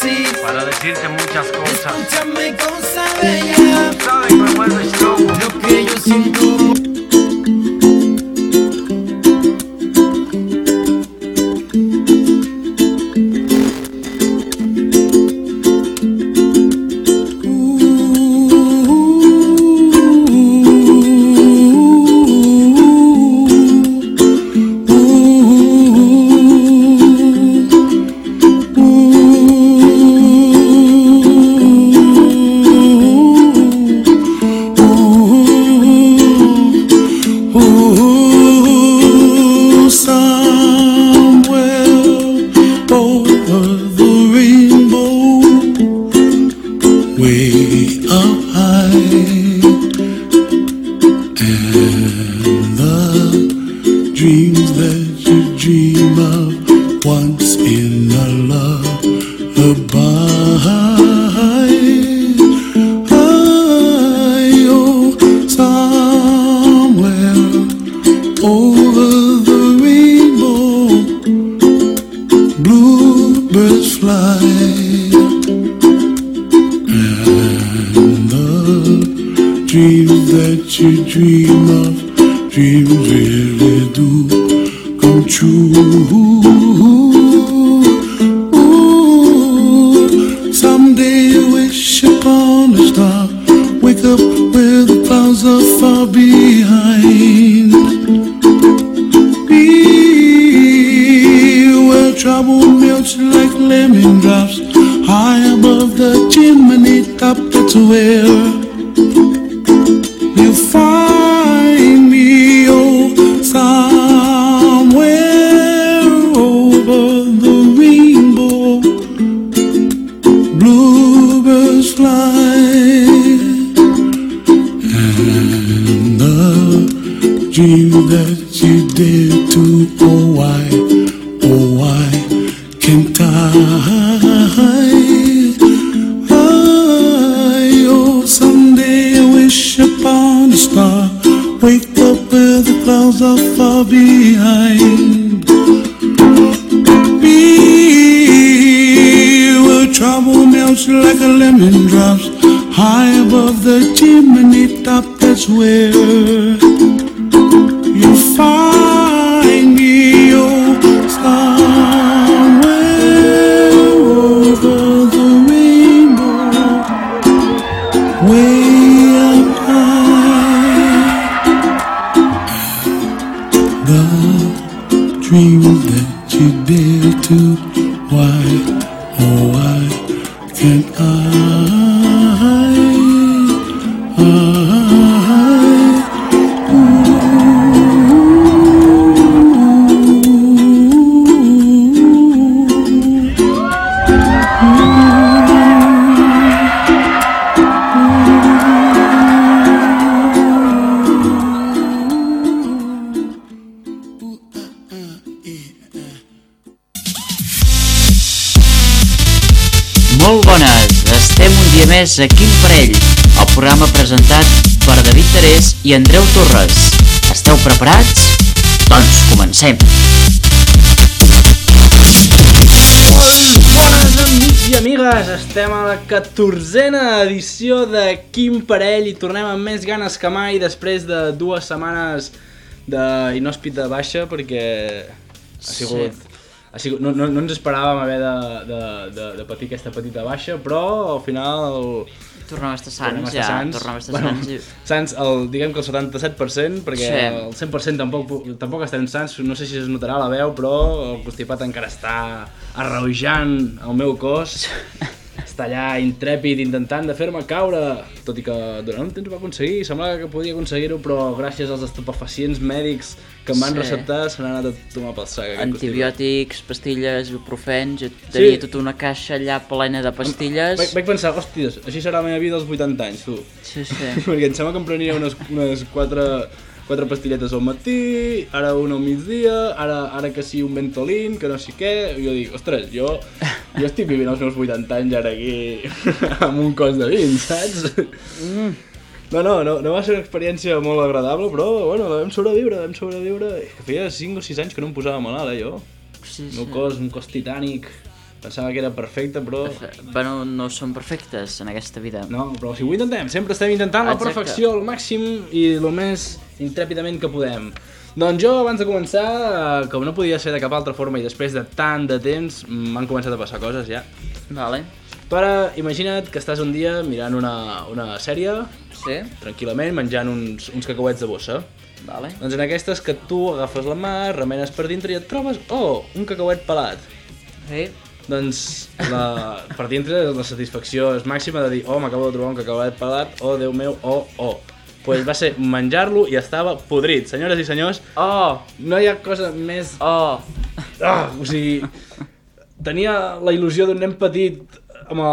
así. Para decirte muchas cosas. Escúchame, cosa bella. Sabes que me vuelves loco. Lo que yo siento. Molt bones, estem un dia més a Quin Parell, el programa presentat per David Terés i Andreu Torres. Esteu preparats? Doncs comencem! Bones amics i amigues, estem a la 14a edició de Quin Parell i tornem amb més ganes que mai després de 2 setmanes d'inhòspita baixa perquè ha sigut... No ens esperàvem haver de patir aquesta petita baixa, però al final... Tornem a estar sants, ja. Tornem a estar sants. Sants, diguem que el 77%, perquè el 100% tampoc estem sants, no sé si es notarà a la veu, però el constipat encara està arreujant el meu cos. Està allà intrèpid intentant de fer-me caure, tot i que durant un temps ho va aconseguir, semblava que podia aconseguir-ho, però gràcies als estupefacients mèdics que em van receptar se n'ha anat a tomar pel sac. Antibiòtics, pastilles, ibuprofens, jo tenia tota una caixa allà plena de pastilles. Vaig pensar, hòsties, així serà la meva vida als 80 anys, tu. Sí. Perquè em sembla que em prenia unes 4 pastilletes al matí, ara una al migdia, ara que sí un Ventolin, que no sé què, i jo dic, ostres, jo estic vivint els meus 80 anys ara aquí amb un cos de 20, saps? No va ser una experiència molt agradable, però bueno, la vam sobreviure. Que feia 5 o 6 anys que no em posava malalt, jo. Sí. El meu cos, un cos titànic, Pensava que era perfecte, però... Bueno, no són perfectes en aquesta vida. No, però si ho intentem, sempre estem intentant la perfecció al màxim i el més intrèpidament que podem. Doncs jo, abans de començar, com no podia ser de cap altra forma i després de tant de temps, m'han començat a passar coses ja. Vale. Però imagina't que estàs un dia mirant una sèrie, Sí. tranquil·lament, menjant uns cacauets de bossa. Vale. Doncs en aquestes que tu agafes la mà, remenes per dintre i et trobes, un cacauet pelat. Sí. Doncs per dintre la satisfacció és màxima de dir m'acabo de trobar un cacauet pelat, Déu meu, Pues va ser menjar-lo i estava podrit. Senyores i senyors, no hi ha cosa més... O sigui, tenia la il·lusió d'un nen petit amb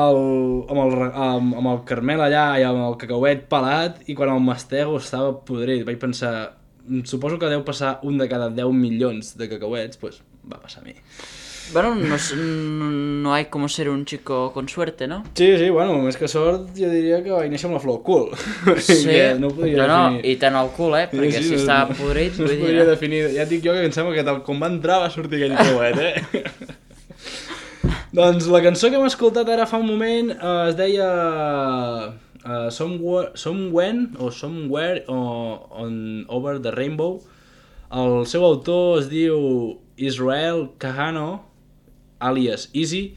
el caramel allà i amb el cacauet pelat i quan el mastego estava podrit. Vaig pensar, suposo que deu passar un de cada 10 milions de cacauets, pues va passar a mi. Bueno, no hay como ser un chico con suerte, ¿no? Sí, bueno, més que sort, jo diria que vaig néixer amb la flor al cul. Sí, no podia definir. I tant al cul, perquè si estava podrit... No es podria definir, ja et dic jo que em sembla que tal com va entrar va sortir aquell cacauet, Doncs la cançó que hem escoltat ara fa un moment es deia Somewhere Over the Rainbow. El seu autor es diu Israel Kahano, àlies Easy,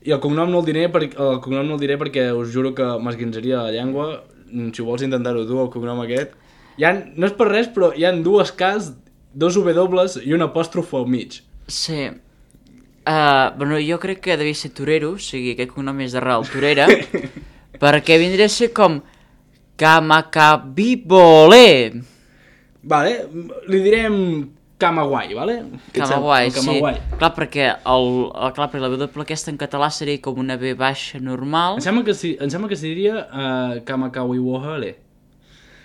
i el cognom no el diré perquè us juro que m'esguinzaria la llengua. Si ho vols intentar-ho tu, el cognom aquest. No és per res, però hi ha dues Ks, dos W i un apòstrof al mig. Sí. Bueno, jo crec que devia ser torero, o sigui, aquest cognom és d'arrel torera, perquè vindria a ser com Kamakabibole. Vale, li direm Camagüai, vale? Camagüai, sí. Clar, perquè la W aquesta en català seria com una B baixa normal. Em sembla que es diria Kamakawiwohele.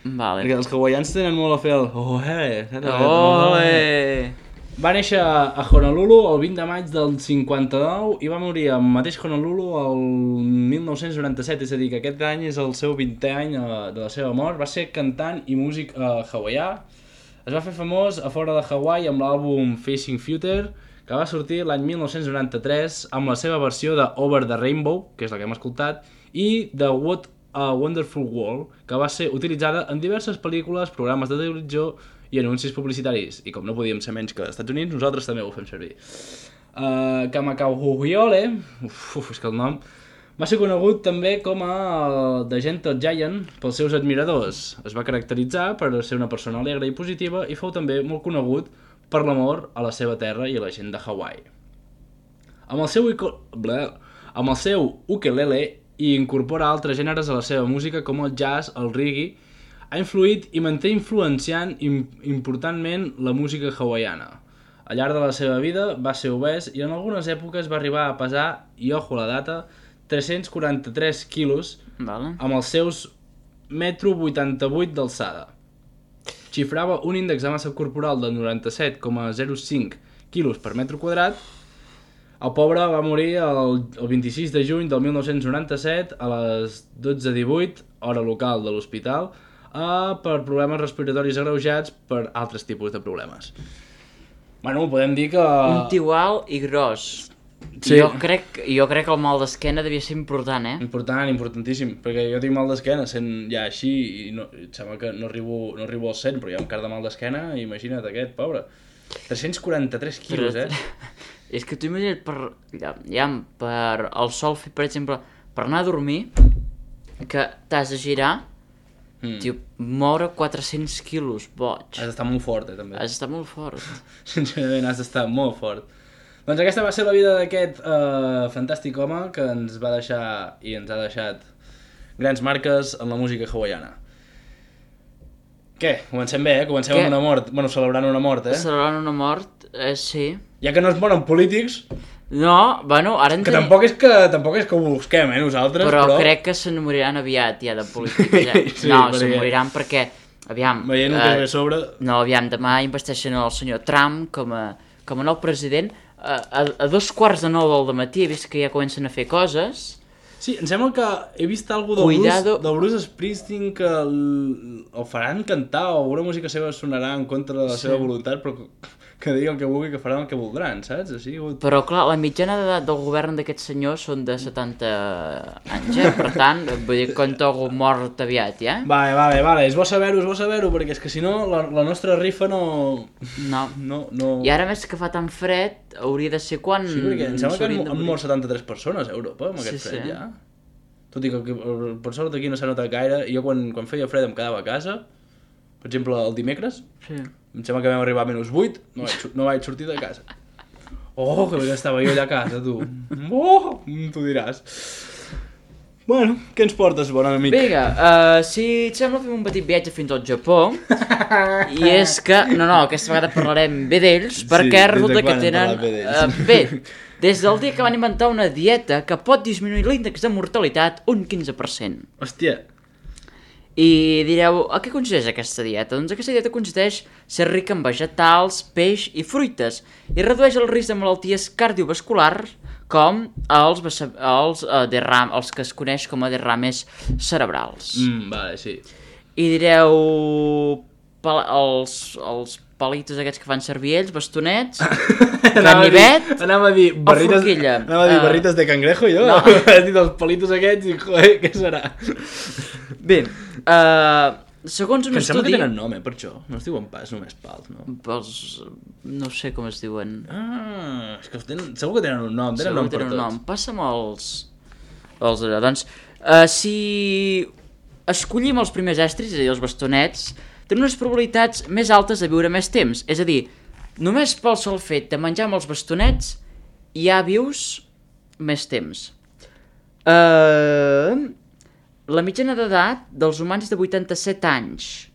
Vale. Perquè els hawaians tenen molt a fer el Va néixer a Honolulu el 20 de maig del 59 i va morir al mateix Honolulu el 1997, és a dir, que aquest any és el seu 20è any de la seva mort. Va ser cantant i músic hawaià. Es va fer famós a fora de Hawaii amb l'àlbum Facing Future, que va sortir l'any 1993 amb la seva versió de Over the Rainbow, que és la que hem escoltat, i de What a Wonderful World, que va ser utilitzada en diverses pel·lícules, programes de televisió i anuncis publicitaris. I com no podíem ser menys que als Estats Units, nosaltres també ho fem servir. Kamakauhuiole, és que el nom, va ser conegut també com a The Gentle Giant pels seus admiradors. Es va caracteritzar per ser una persona alegre i positiva i fou també molt conegut per l'amor a la seva terra i a la gent de Hawaii. Amb el seu ukelele i incorpora altres gèneres a la seva música com el jazz, el reggae, ha influït i manté influenciant importantment la música hawaiana. Al llarg de la seva vida va ser obès i en algunes èpoques va arribar a pesar, i ojo a la data, 343 quilos, amb els seus 1,88 m d'alçada. Xifrava un índex de massa corporal de 97,05 quilos per metre quadrat. El pobre va morir el 26 de juny del 1997 a les 12:18, hora local de l'hospital, per problemes respiratoris agreujats per altres tipus de problemes. Bueno, podem dir que... Un tio alt i gros. Sí. Jo crec que el mal d'esquena devia ser important, Importantíssim, perquè jo tinc mal d'esquena sent ja així i em sembla que no arribo als 100, però hi ha un car de mal d'esquena i imagina't aquest, pobre. 343 quilos, És que tu imagina't per el sol fet, per exemple, per anar a dormir, que t'has de girar, moure 400 quilos, boig. Has d'estar molt fort, també. Has d'estar molt fort. Sincerament, has d'estar molt fort. Doncs aquesta va ser la vida d'aquest fantàstic home que ens va deixar i ens ha deixat grans marques en la música hawaiana. Què? Comencem bé, Comencem amb una mort. Bueno, celebrant una mort, Celebrant una mort, sí. Ja que no es moren polítics... No, bueno, ara... Que tampoc és que ho busquem, nosaltres, però... crec que se n'moriran aviat, ja, de polítics. Sí, no, se moriran perquè... Aviam... Veient el que ve a sobre... No, aviam, demà investeixen el senyor Trump com a nou president. A 2:15 del matí he vist que ja comencen a fer coses. Sí, em sembla que he vist alguna cosa del Bruce Springsteen que el faran cantar o alguna música seva sonarà en contra de la seva voluntat, però que digui el que vulgui, que faran el que voldran, saps? Així, Però clar, la mitjana d'edat del govern d'aquests senyors són de 70 anys, Per tant, vull dir, compta algú mort aviat, ja? Vale, és bo saber-ho, perquè és que si no, la nostra rifa no... No. I ara més que fa tan fred, hauria de ser quan... Sí, perquè em sembla que han mort 73 persones a Europa amb aquest fred, ja. Tot i que per sort aquí no s'ha notat gaire, i jo quan feia fred em quedava a casa, per exemple el dimecres, em sembla que vam arribar a -8, no vaig sortir de casa. Oh, que bé que estava jo allà a casa, tu. Oh, tu diràs. Bueno, què ens portes, bon amic? Vinga, si et sembla fem un petit viatge fins al Japó, i és que, aquesta vegada parlarem bé d'ells, perquè resulta que tenen... Bé, des del dia que van inventar una dieta que pot disminuir l'índex de mortalitat un 15%. Hòstia. I direu, a què consisteix aquesta dieta? Doncs aquesta dieta consisteix ser rica en vegetals, peix i fruites i redueix el risc de malalties cardiovasculars com els que es coneix com a derrames cerebrals. Vale, sí. I direu, els palitos aquests que fan servir ells, bastonets, ganivet anava a dir forquilla. Anava a dir barrites de cangrejo, jo. No. Has dit els palitos aquests i, joder, què serà? Bé, segons un estudi... Em sembla que tenen nom, per això. No es diuen pas només pals, no? No sé com es diuen. És que segur que tenen un nom, tenen nom per tots. Passa'm els... Doncs, si escollim els primers estris, és a dir, els bastonets, tenen unes probabilitats més altes de viure més temps. És a dir, només pel sol fet de menjar amb els bastonets ja vius més temps. La mitjana d'edat dels humans és de 87 anys.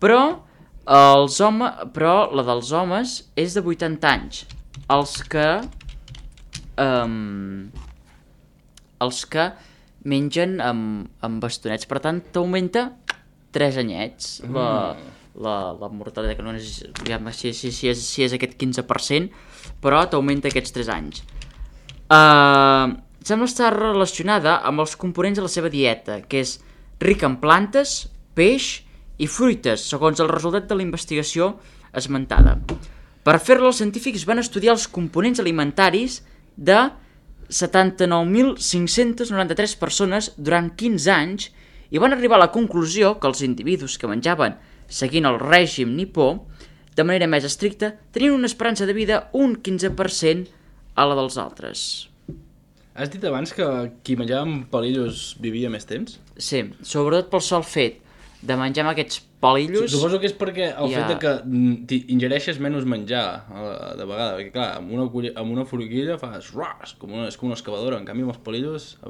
Però la dels homes és de 80 anys. Els que mengen amb bastonets. Per tant, t'augmenta 3 anyets la mortalitat, que no és, si és aquest 15%, però t'augmenta aquests 3 anys. Sembla estar relacionada amb els components de la seva dieta, que és rica en plantes, peix i fruites, segons el resultat de la investigació esmentada. Per fer-la, els científics van estudiar els components alimentaris de 79.593 persones durant 15 anys i van arribar a la conclusió que els individus que menjaven seguint el règim nipó de manera més estricta tenien una esperança de vida un 15% a la dels altres. Has dit abans que qui menjava amb palillos vivia més temps? Sí, sobretot pel sol fet de menjar amb aquests palillos... Suposo que és perquè el fet que ingereixes menys menjar de vegada, perquè clar, amb una forquilla fas ras, és com una excavadora, en canvi amb els palillos,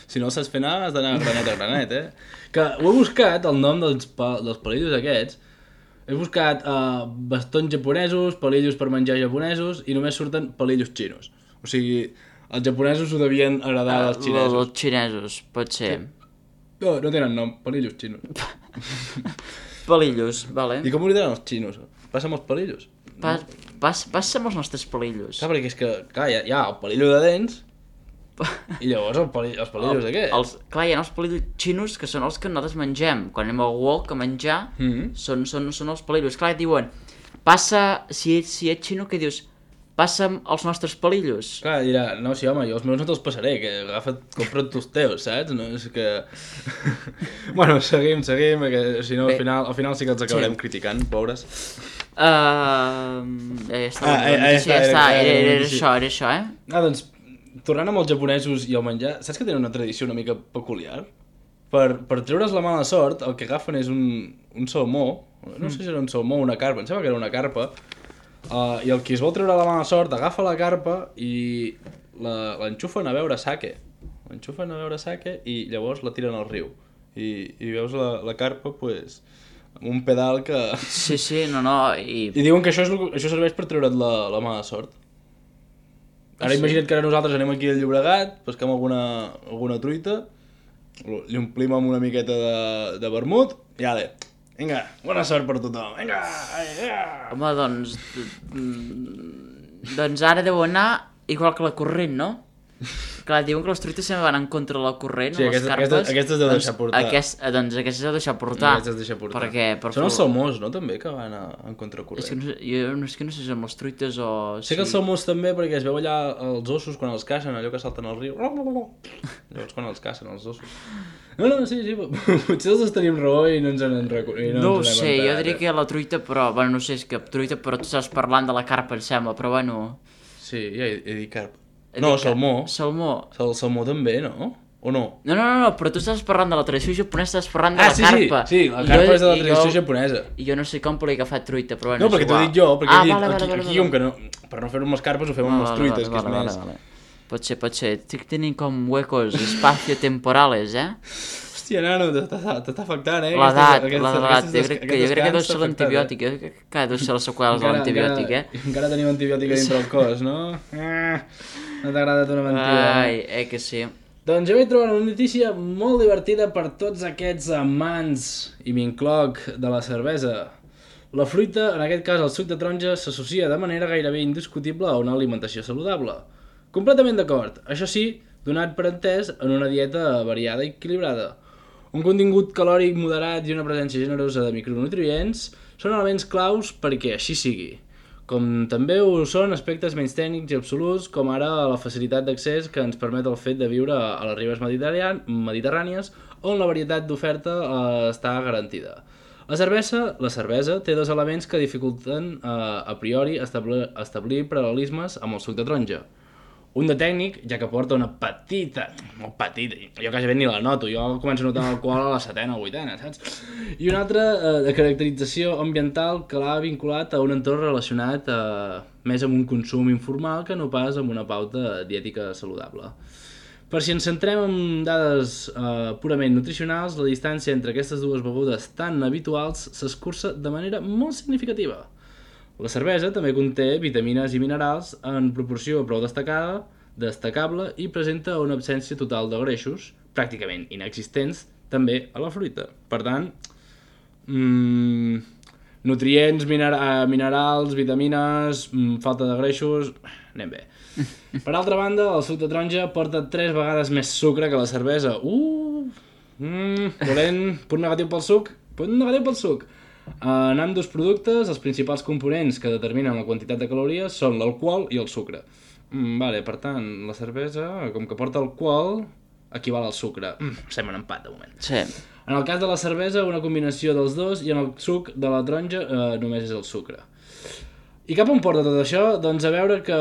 si no els saps fer anar, has d'anar granet a granet, Que ho he buscat, el nom dels palillos aquests, he buscat bastons japonesos, palillos per menjar japonesos, i només surten palillos xinos. O sigui, els japonesos ho devien heredar dels xinesos. Els xinesos, pot ser. No tenen nom, palillos xinos. Palillos, vale. I com ho diran els xinos? Passa'm els palillos. Passa'm els nostres palillos. Clar, perquè és que, clar, hi ha el palillo de dents i llavors els palillos aquests. Clar, hi ha els palillos xinos que són els que nosaltres mengem. Quan anem al wok a menjar, són els palillos. Clar, et diuen, si ets xino, què dius? Passa'm els nostres palillos. Clar, dirà, no, sí, home, jo els meus no te'ls passaré, que compra't tu els teus, saps? No, és que... Bueno, seguim, perquè si no, al final sí que els acabarem criticant, pobres. Ja està, era això, Doncs, tornant amb els japonesos i el menjar, saps que tenen una tradició una mica peculiar? Per treure's la mala sort, el que agafen és un salmó, no sé si era un salmó o una carpa, em sembla que era una carpa, i el qui es vol treure la mala sort agafa la carpa i l'enxufen a beure sake. L'enxufen a beure sake i llavors la tiren al riu. I veus la carpa, pues, amb un pedal que... Sí, I diuen que això serveix per treure't la mala sort. Ara imagina't que ara nosaltres anem aquí al Llobregat, pesquem alguna truita, li omplim amb una miqueta de vermut i ale. Vinga, bona sort per tothom, vinga! Home, doncs ara deu anar igual que la corrent, no? Clar, diuen que les truites sempre van en contra de la corrent, Sí, les carpes. aquestes deu deixar portar. Doncs aquestes deu deixar portar. Aquestes deixa portar. Perquè, Són els salmons, no, també, que van en contracorrent. És que no sé si són les truites o... Sé que els salmons també, perquè es veu allà els ossos quan els cacen, allò que salten al riu. Llavors quan els cacen, els ossos. No, sí, potser els tenim raó i no ens en reconeixem. No ho sé, jo diria que la truita, però... Bueno, no sé, és que truita, però tu estàs parlant de la carpa, em sembla, però bueno... Sí, ja he dit carp. No, salmó. Salmó. El salmó també, no? O no? No, però tu estàs parlant de la tradició japonesa, estàs parlant de la carpa. Sí, la carpa és de la tradició japonesa. I jo no sé com poder agafar truita, però bueno, no, perquè t'ho he dit jo, perquè he dit, vale. aquí com que no, per no fer-ho amb les carpes ho fem amb les truites, que és més... Vale. Pot ser. Estic tenint com huecos espacio-temporales, Hòstia, nano, t'està afectant, L'edat, jo crec que deu ser l'antibiòtic, que deu ser les seqüeles de l'antibiòtic, Encara tenim antibiòtic dintre el cos, no? No t'ha agradat una mentida. Ai, que sí. Doncs jo vaig trobar una notícia molt divertida per tots aquests amants, i m'incloc, de la cervesa. La fruita, en aquest cas el suc de taronja, s'associa de manera gairebé indiscutible a una alimentació saludable. Completament d'acord, això sí, donat per entès en una dieta variada i equilibrada. Un contingut calòric moderat i una presència generosa de micronutrients són elements claus perquè així sigui. Com també ho són aspectes menys tècnics i absoluts, com ara la facilitat d'accés que ens permet el fet de viure a les ribes mediterrànies, on la varietat d'oferta està garantida. La cervesa té dos elements que dificulten a priori establir paral·lelismes amb el suc de taronja. Un de tècnic, ja que porta una petita, molt petita, jo quasi ben ni la noto, jo començo a notar l'alcohol a la setena o vuitena, saps? I un altre de caracterització ambiental que l'ha vinculat a un entorn relacionat més amb un consum informal que no pas amb una pauta diètica saludable. Per si ens centrem en dades purament nutricionals, la distància entre aquestes dues begudes tan habituals s'escurça de manera molt significativa. La cervesa també conté vitamines i minerals en proporció prou destacable i presenta una absència total de greixos, pràcticament inexistents, també a la fruita. Per tant, nutrients, minerals, vitamines, falta de greixos, anem bé. Per altra banda, el suc de taronja porta 3 vegades més sucre que la cervesa. Punt negatiu pel suc. En ambdós productes, els principals components que determinen la quantitat de calories són l'alcohol i el sucre. Per tant, la cervesa, com que porta alcohol, equival al sucre. Sembla un empat, de moment. Sí. En el cas de la cervesa, una combinació dels dos, i en el suc de la taronja només és el sucre. I cap on porta tot això? Doncs a veure que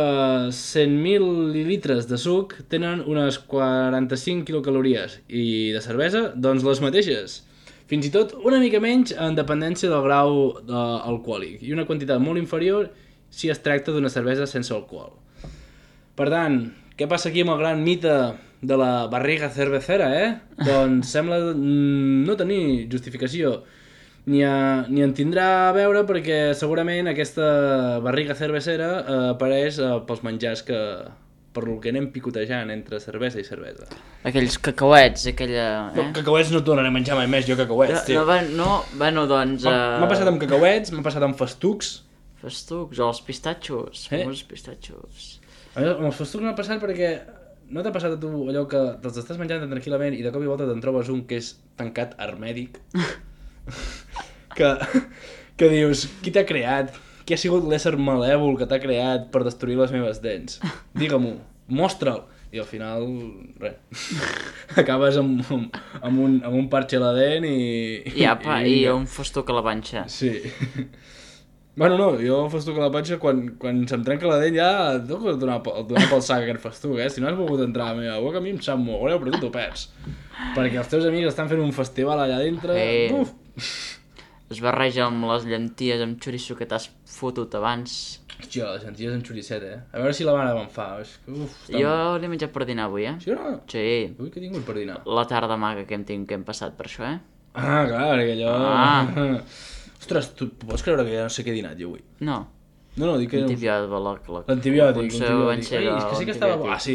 100.000 mil·lilitres de suc tenen unes 45 quilocalories, i de cervesa, doncs les mateixes. Fins i tot una mica menys en dependència del grau alcohòlic i una quantitat molt inferior si es tracta d'una cervesa sense alcohol. Per tant, què passa aquí amb el gran mite de la barriga cervecera, Doncs sembla no tenir justificació. Ni en tindrà a veure perquè segurament aquesta barriga cervecera apareix pels menjars per lo que anem picotejant entre cervesa i cervesa. Aquells cacauets, aquella... Cacauets no tornaré a menjar mai més, jo cacauets, tio. Doncs... M'ha passat amb cacauets, m'ha passat amb festucs. Festucs, o els pistatxos, famosos pistatxos. Amb els festucs m'ha passat perquè no t'ha passat a tu allò que te'ls estàs menjant tan tranquil·lament i de cop i volta te'n trobes un que és tancat hermètic? que dius, qui t'ha creat? Qui ha sigut l'ésser malèvol que t'ha creat per destruir les meves dents? Digue-m'ho, mostra'l. I al final, res. Acabes amb un parxe a la dent i... I un festuc a la panxa. Sí. Bueno, no, jo el festuc a la panxa, quan se'm trenca la dent ja tengo que donar pel sac aquest festuc, Si no has volgut entrar a la meva boca, a mi em sap molt greu, però tu t'ho perds. Perquè els teus amics estan fent un festival allà dintre... Uf! Es barreja amb les llenties amb xoriço que t'has fotut abans. Hòstia, les llenties amb xoricet, A veure si la mare me'n fa. Jo l'he menjat per dinar avui, Sí o no? Sí. Ui, què he tingut per dinar? La tarda maga que hem passat per això, Ah, clar, perquè allò... Ostres, tu pots creure que ja no sé què he dinat jo avui? No. No, dic que... L'antibiòtic. És que sí que estava... Ah, sí.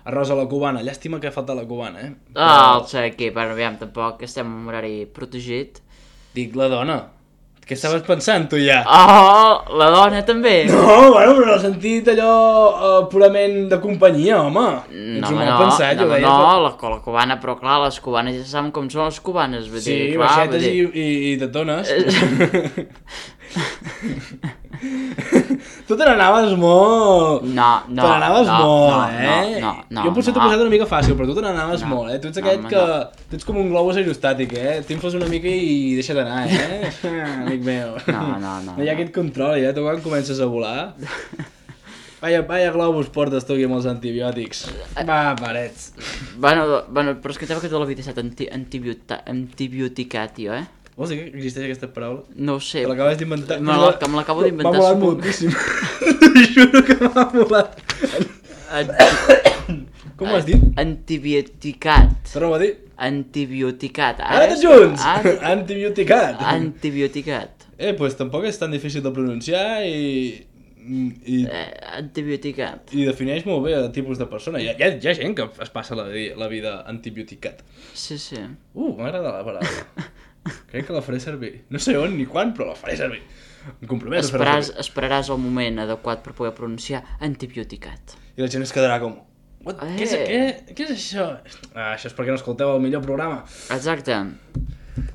Arròs a la cubana. Llàstima que ha faltat la cubana, El sé aquí, però aviam, tampoc estem en un horari protegit. Dic, la dona. Què estaves pensant, tu, ja? Oh, la dona també. No, bueno, però no he sentit allò purament de companyia, home. Ets un mal pensat, jo deia. No, la cubana, però clar, les cubanes ja saben com són les cubanes. Vull dir, clar, baixetes i tetones. Tu te n'anaves molt... No. Te n'anaves molt, No. Jo potser t'ho he posat una mica fàcil, però tu te n'anaves molt, Tu ets aquest que... Tu ets com un globus aerostàtic, T'infles una mica i deixa't anar, amic meu. No. No hi ha aquest control, Tu quan comences a volar... Vaya globus portes tu aquí amb els antibiòtics. Va, parets. Bueno, però és que que tota la vida he estat antibioticat, tio, Vols dir que existeix aquesta paraula? No ho sé. Te l'acabes d'inventar? Me l'acabo d'inventar. M'ha molat moltíssim. T'ho juro que m'ha molat. Com ho has dit? Antibioticat. Torna-ho a dir. Antibioticat. Ara tots junts! Antibioticat. Antibioticat. Doncs tampoc és tan difícil de pronunciar i antibioticat. I defineix molt bé el tipus de persona. Hi ha gent que es passa la vida antibioticat. Sí. M'agrada la paraula. Crec que la faré servir. No sé on ni quan, però la faré servir. Em comprometo a fer-la servir. Esperaràs el moment adequat per poder pronunciar antibioticat. I la gent es quedarà com... Què és això? Això és perquè no escolteu el millor programa. Exacte.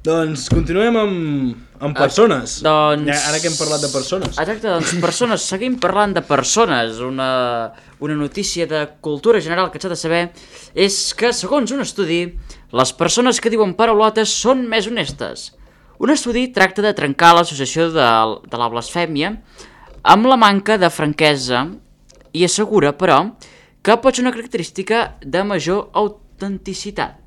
Doncs continuem amb persones. Ara que hem parlat de persones. Exacte, doncs persones. Seguim parlant de persones. Una notícia de cultura general que s'ha de saber és que, segons un estudi, les persones que diuen paraulotes són més honestes. Un estudi tracta de trencar l'associació de la blasfèmia amb la manca de franquesa i assegura, però, que pot ser una característica de major autenticitat.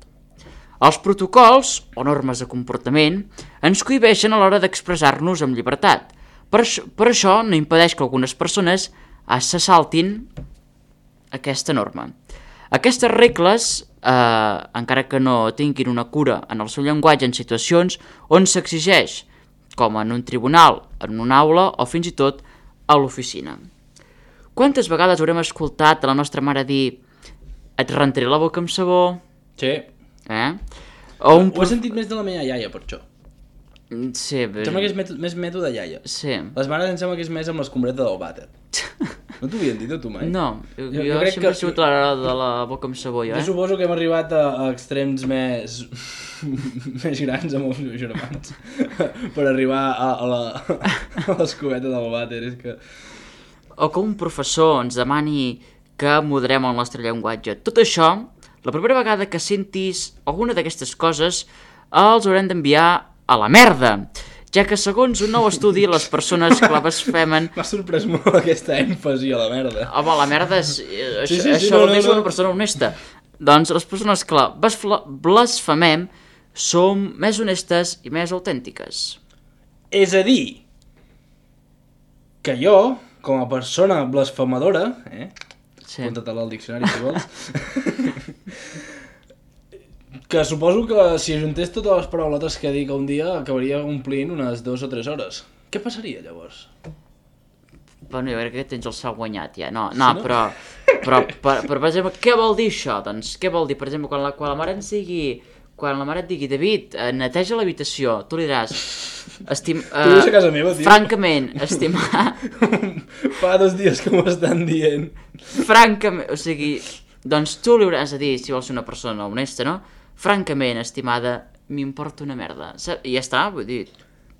Els protocols, o normes de comportament, ens cohibeixen a l'hora d'expressar-nos amb llibertat. Per això no impedeix que algunes persones se saltin aquesta norma. Aquestes regles, encara que no tinguin una cura en el seu llenguatge en situacions on s'exigeix, com en un tribunal, en una aula o fins i tot a l'oficina. Quantes vegades haurem escoltat a la nostra mare dir et rentaré la boca amb sabó? Sí. Ho he sentit més de la meva iaia, per això. Sí, Em sembla que és més mètode iaia. Sí. Les mares em sembla que és més amb l'escombreta del vàter. No t'ho havien dit a tu mai? No, jo sempre he sigut la de la boca amb sabó, Jo suposo que hem arribat a extrems més grans amb els meus germans per arribar a l'escombreta del vàter. O que un professor ens demani que moderem el nostre llenguatge. Tot això, la primera vegada que sentis alguna d'aquestes coses, els haurem d'enviar a la merda, ja que segons un nou estudi les persones que la blasfemen... M'ha sorprès molt aquesta èmfasi a la merda. Home, la merda és... Això vol dir una persona honesta. Doncs les persones que la blasfemem som més honestes i més autèntiques. És a dir, que jo, com a persona blasfemadora, apunta-te-la al diccionari si vols, que suposo que si ajuntés totes les paraulotes que dic un dia acabaria omplint unes 2 o 3 hores. Què passaria llavors? Bueno, jo crec que tens el sal guanyat ja. No, però per exemple, què vol dir això? Doncs què vol dir? Per exemple, quan la mare et digui David, neteja l'habitació, tu li diràs tu vius a casa meva, tio. Francament, estimar... Fa 2 dies que m'ho estan dient. Francament, o sigui, doncs tu li hauràs de dir, si vols ser una persona honesta, no? Francament, estimada, m'importa una merda. I ja està, vull dir...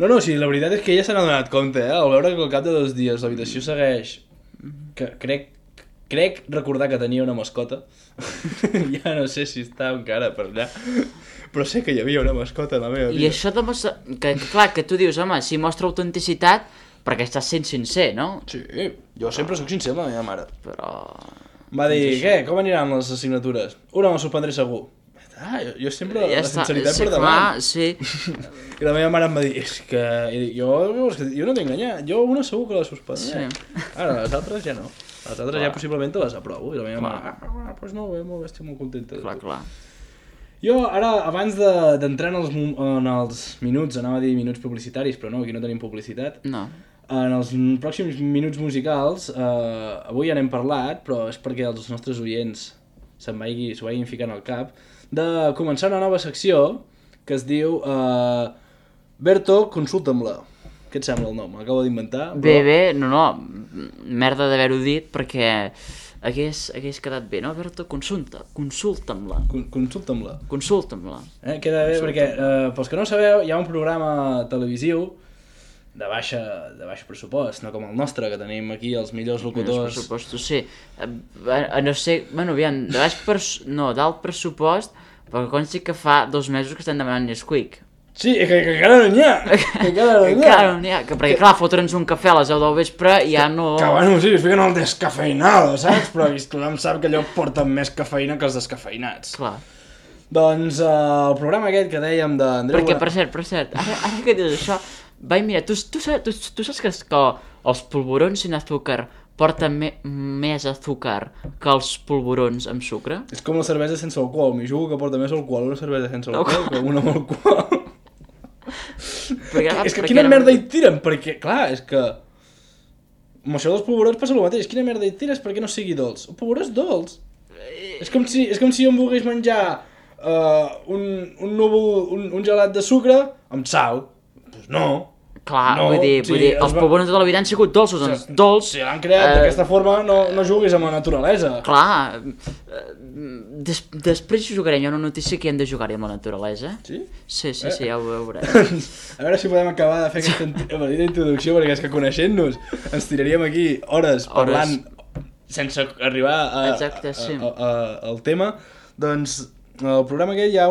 No, sí, la veritat és que ella se n'ha donat compte, al veure que al cap de 2 dies l'habitació segueix... Que crec recordar que tenia una mascota. Ja no sé si està encara per allà, però sé que hi havia una mascota a la meva vida. I això demostra... Clar, que tu dius, home, si mostra autenticitat, perquè estàs sent sincer, no? Sí, jo sempre soc sincer amb la meva mare. Però... Va dir, què? Com aniran les assignatures? Una me'l suspendré segur. Jo sempre la sinceritat per davant. Sí. I la meva mare em va dir, és que jo no t'he enganyat, jo una segur que la suspendré. Sí. Ara, les altres ja no. Les altres ja possiblement te les aprovo. I la meva mare, doncs molt bé, estic molt contenta. Clar. Jo ara, abans d'entrar en els minuts, anava a dir minuts publicitaris, però no, aquí no tenim publicitat. No. En els pròxims minuts musicals, avui ja n'hem parlat, però és perquè els nostres oients s'ho vagin ficant al cap, de començar una nova secció que es diu Berto, consulta'm-la. Què et sembla el nom? M'acabo d'inventar. Bé, no, merda d'haver-ho dit perquè hagués quedat bé, no, Berto? Consulta'm-la. Consulta'm-la. Queda bé perquè, pels que no sabeu, hi ha un programa televisiu de baix pressupost, no com el nostre, que tenim aquí els millors locutors. Els pressupostos, sí. No sé, bueno, aviam, d'alt pressupost, perquè consti que fa 2 mesos que estem demanant Nesquik. Sí, que encara no n'hi ha. Encara no n'hi ha. Perquè, clar, fotre'ns un cafè a les 10 del vespre i ja no... Que bueno, sí, es fiquen el descafeinado, saps? Però tothom sap que allò porten més cafeïna que els descafeinats. Clar. Doncs el programa aquest que dèiem d'Andreu... Perquè, per cert, ara que dius això, vaig mirar, tu saps que els polvorons sin azúcar porten més azúcar que els polvorons amb sucre? És com la cervesa sense alcohol, m'hi jugo que porta més alcohol una cervesa sense alcohol que una amb alcohol. És que quina merda hi tiren, perquè, clar, és que... Amb això dels polvorons passa el mateix, quina merda hi tires perquè no sigui dolç? El polvoró és dolç. És com si jo em volgués menjar un gelat de sucre amb sal. Doncs no. Clar, vull dir, els polvorons de tota la vida han sigut dolços, doncs dolç... Si l'han creat d'aquesta forma, no juguis amb la naturalesa. Clar, després jugarem, hi ha una notícia que hem de jugar-hi amb la naturalesa. Sí? Sí, ja ho veurem. A veure si podem acabar de fer aquesta petita introducció, perquè és que coneixent-nos ens tiraríem aquí hores parlant sense arribar al tema. Doncs al programa aquest hi ha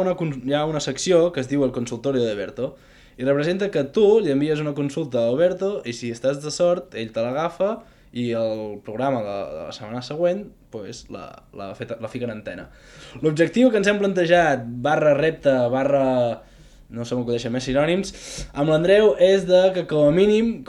una secció que es diu el consultorio de Berto, i representa que tu li envies una consulta a Alberto i si estàs de sort, ell te l'agafa i el programa de la setmana següent pues, la fica en antena. L'objectiu que ens hem plantejat, /repte, no se m'acudeixen més sinònims, amb l'Andreu és que com a mínim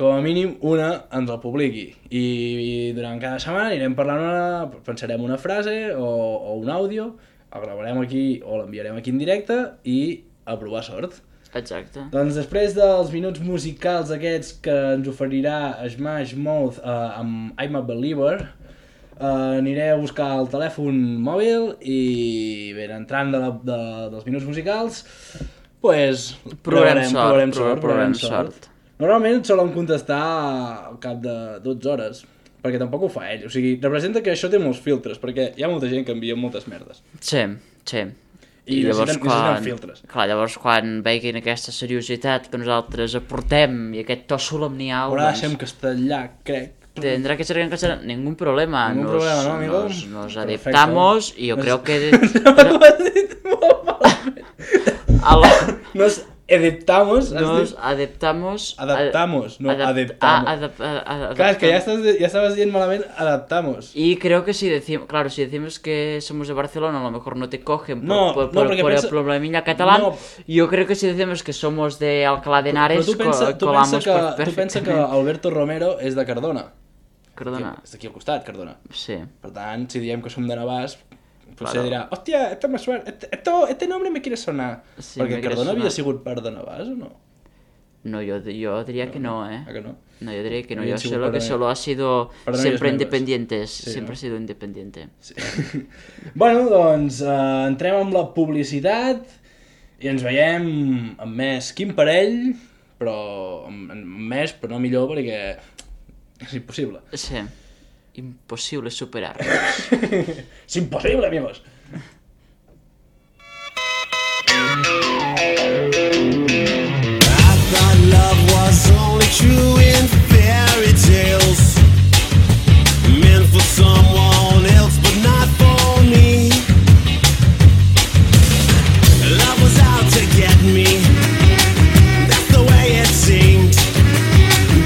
una ens el publiqui. I durant cada setmana anirem parlant pensarem una frase o un àudio, el gravarem aquí o l'enviarem aquí en directe i a provar sort. Exacte. Doncs després dels minuts musicals aquests que ens oferirà Smash Mouth amb I'm a Believer, aniré a buscar el telèfon mòbil i ben entrant dels minuts musicals pues provarem sort. Normalment solen contestar al cap de 12 hores, perquè tampoc ho fa ell, o sigui, representa que això té molts filtres, perquè hi ha molta gent que envia moltes merdes. Sí. I necessiten filtres. Clar, llavors quan veiguin aquesta seriositat que nosaltres aportem i aquest to solemnial... Ahora deixem castellà, crec. Tendrá que ser en castellano, ningún problema. Ningún problema, ¿no, amigo? Nos adaptamos y yo creo que... Nos adaptamos. Claro, es que ya estabas bien malamente, adaptamos. Y creo que si decimos que somos de Barcelona, a lo mejor no te cogen por el problemilla catalán. No. Yo creo que si decimos que somos de Alcalá de Henares, colamos perfectament. Tu pensa que Alberto Romero és de Cardona. Cardona. És d'aquí al costat, Cardona. Sí. Per tant, si diem que som de Navàs, potser dirà, hòstia, este nombre me quiere sonar. Sí, perquè Cardona havia sigut part de Navàs o no? No, yo diría que no, ¿eh? ¿A que no? No, yo diría que no. Yo sé lo que solo ha sido siempre independientes. Sí, siempre ha sido independiente. Sí. Bueno, doncs entrem amb la publicitat i ens veiem amb més Quim Parell, però no millor perquè és impossible. Sí. Imposible superar. Es imposible, amigos. I thought love was only true in fairy tales, meant for someone else but not for me. Love was out to get me, that's the way it seemed.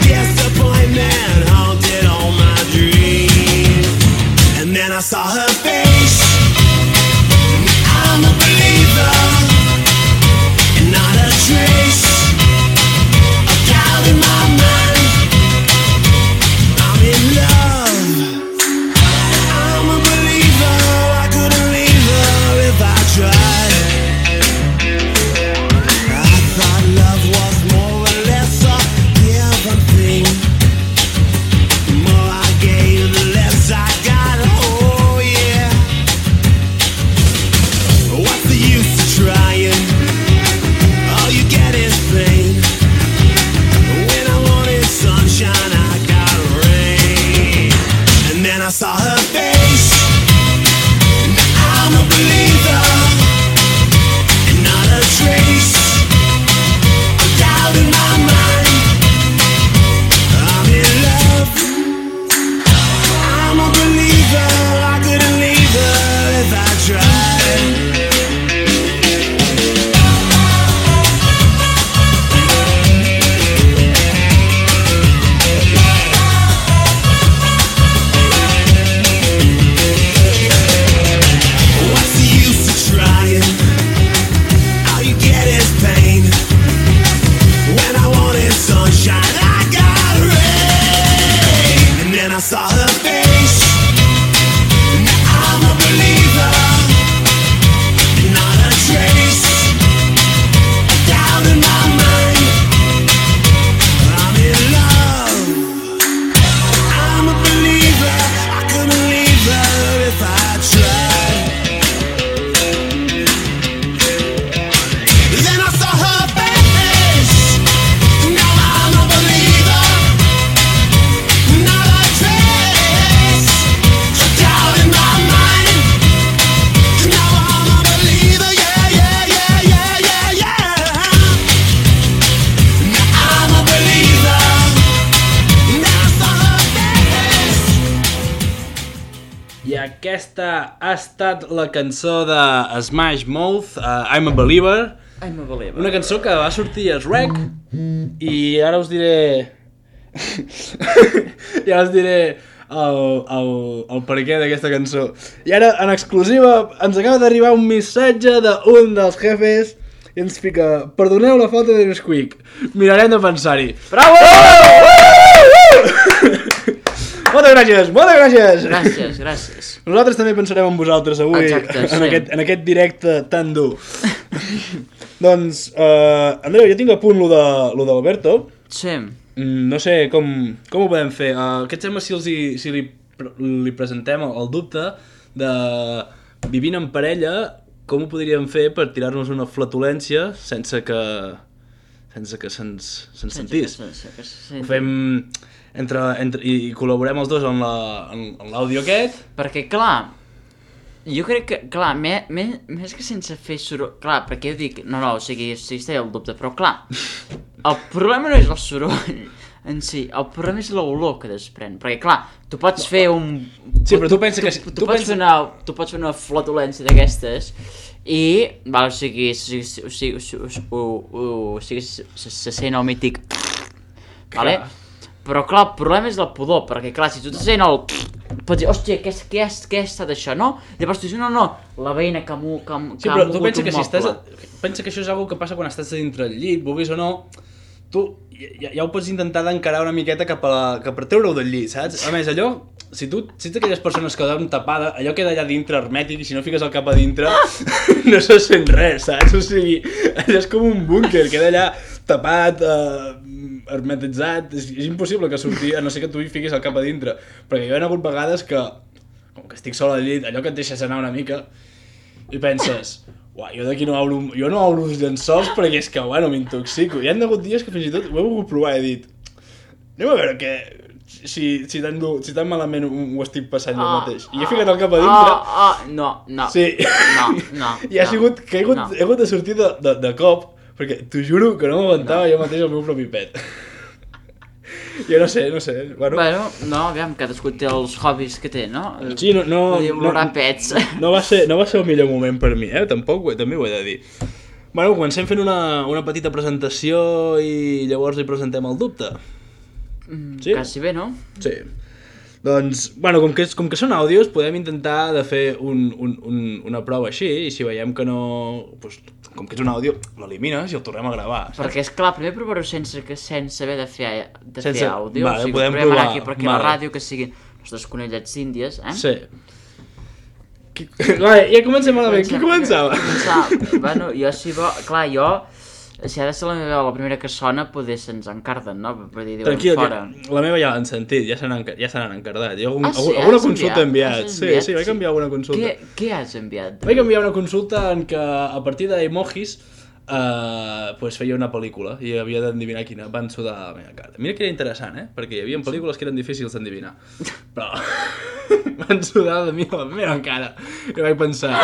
Disappointment haunted all my dreams. And then I saw her face aquesta ha estat la cançó de Smash Mouth, I'm a Believer. I'm a Believer. Una cançó que va sortir a Shrek i ara us diré... I ara us diré el perquè d'aquesta cançó. I ara, en exclusiva, ens acaba d'arribar un missatge d'un dels jefes i ens fica: perdoneu la falta de Nesquik, mirarem de pensar-hi. Bravo! Moltes gràcies, moltes gràcies! Gràcies. Nosaltres també pensarem en vosaltres avui. Exacte, en aquest directe tan dur. Doncs, Andreu, jo tinc a punt lo d'Alberto. Sí. No sé com ho podem fer. Què et sembla si li presentem el dubte de vivint en parella, com ho podríem fer per tirar-nos una flatulència sense que se'ns sentís? Ho fem i col·laborem els dos en l'àudio aquest. Perquè, clar, jo crec que, clar, més que sense fer soroll... Clar, perquè jo dic, o sigui, té el dubte, però clar, el problema no és el soroll en si, el problema és l'olor que desprèn, perquè clar, tu pots fer un... Sí, però tu pensa que... Tu pots fer una flatulència d'aquestes i, o sigui, se sent el mític... Vale? Però clar, el problema és el pudor, perquè clar, si tu te sent el... Pots dir, hòstia, què ha estat això, no? Llavors tu dius, no, la veïna que sí, però tu pensa que si estàs... Pensa que això és una que passa quan estàs dintre el llit, vulguis o no, tu ja ho pots intentar d'encarar una miqueta cap a treure-ho del llit, saps? A més, allò, si ets d'aquelles persones que dormen tapada, allò queda allà dintre hermètic i si no fiques el cap a dintre no se sent res, saps? O sigui, allò és com un búnquer, queda allà tapat, hermetitzat, és impossible que surti, a no ser que tu hi fiquis el cap a dintre. Perquè hi ha hagut vegades que, com que estic sol al llit, allò que et deixes anar una mica i penses... Uau, jo d'aquí no obro els llençols perquè és que, bueno, m'intoxico. Hi ha hagut dies que fins i tot ho he volgut provar i he dit anem a veure si tan malament ho estic passant jo mateix. I he ficat el cap a dintre. No. Sí. No. I ha sigut que he hagut de sortir de cop perquè t'ho juro que no m'aguantava jo mateix el meu propi pet. Jo no sé. Bueno, aviam, cadascú té els hobbies que té, no? Sí, no pets. No va ser el millor moment per mi, també ho he de dir. Bueno, comencem fent una petita presentació i llavors li presentem el dubte. Sí? Quasi bé, no? Sí. Doncs, bueno, com que són àudios, podem intentar de fer una prova així i si veiem que no... Doncs, com que és un àudio, l'elimines i el tornem a gravar. Saps? Perquè, esclar, primer provar-ho sense haver de fer àudio. Vale, o sigui, podem provar provar. aquí, perquè la ràdio que siguin els dos conellets índies, eh? Sí. Vale, ja comencem malament. Qui començava? Bueno, jo si ha de ser la meva la primera que sona, poder se'ns encarden, no? Per dir, tranquil, fora. La meva ja l'han sentit, ja se n'han encardat. Sí? Alguna consulta he enviat. Sí, vaig enviar alguna consulta. Què has enviat? Vaig enviar una consulta en què a partir d'emojis pues feia una pel·lícula i havia d'endevinar quina. Van sudar la meva cara. Mira que era interessant, perquè hi havia pel·lícules que eren difícils d'endevinar. Però van sudar de mi la meva cara. I vaig pensar...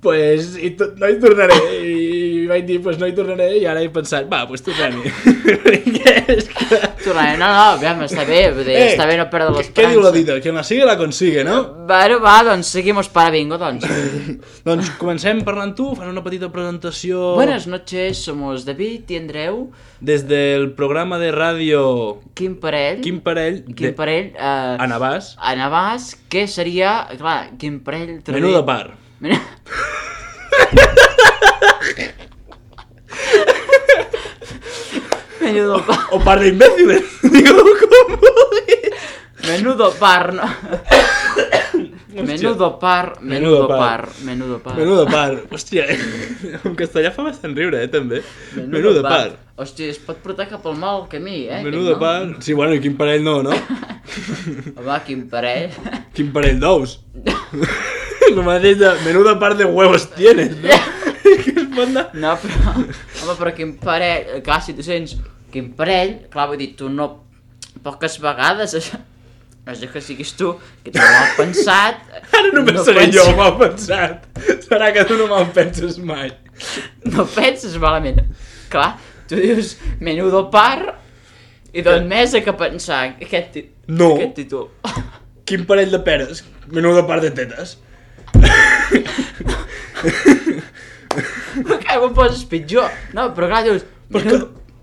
Pues no hi tornaré. I vaig dir, pues no hi tornaré i ara he pensat, pues tornem-hi. Tornaré, aviam, està bé, està bé no perdre l'esperança. Què diu la dita? Que la sigue la consigue, no? Bueno, doncs seguimos para bingo, doncs. Doncs comencem parlant tu, fas una petita presentació... Buenas noches, somos David y Andreu. Desde el programa de radio... Quim Parell. A Navàs. Que seria, clar, Quim Parell... Menú de par. Menudo par. O par de imbéciles. Digo, com vulguis. Menudo par, no? Menudo par. Hòstia, en castellà fa bastant riure, també. Menudo par. Hòstia, es pot portar cap al mal camí, Menudo par. Sí, bueno, i quin parell no? Home, quin parell. Quin parell d'ous. Lo mateix de menuda part de huevos tienes, no? Que es pot anar... No, però... Home, però quin parell... Clar, si tu sents quin parell... Clar, vull dir, tu no... Poques vegades això... És que siguis tu, que tu no m'has pensat... Ara només seré jo mal pensat. Serà que tu no me'l penses mai. No penses malament. Clar, tu dius menudo par... I doncs més que pensar aquest títol. quin parell de peres? Menuda part de tetes. Que ho poses pitjor. No, però clar, dius...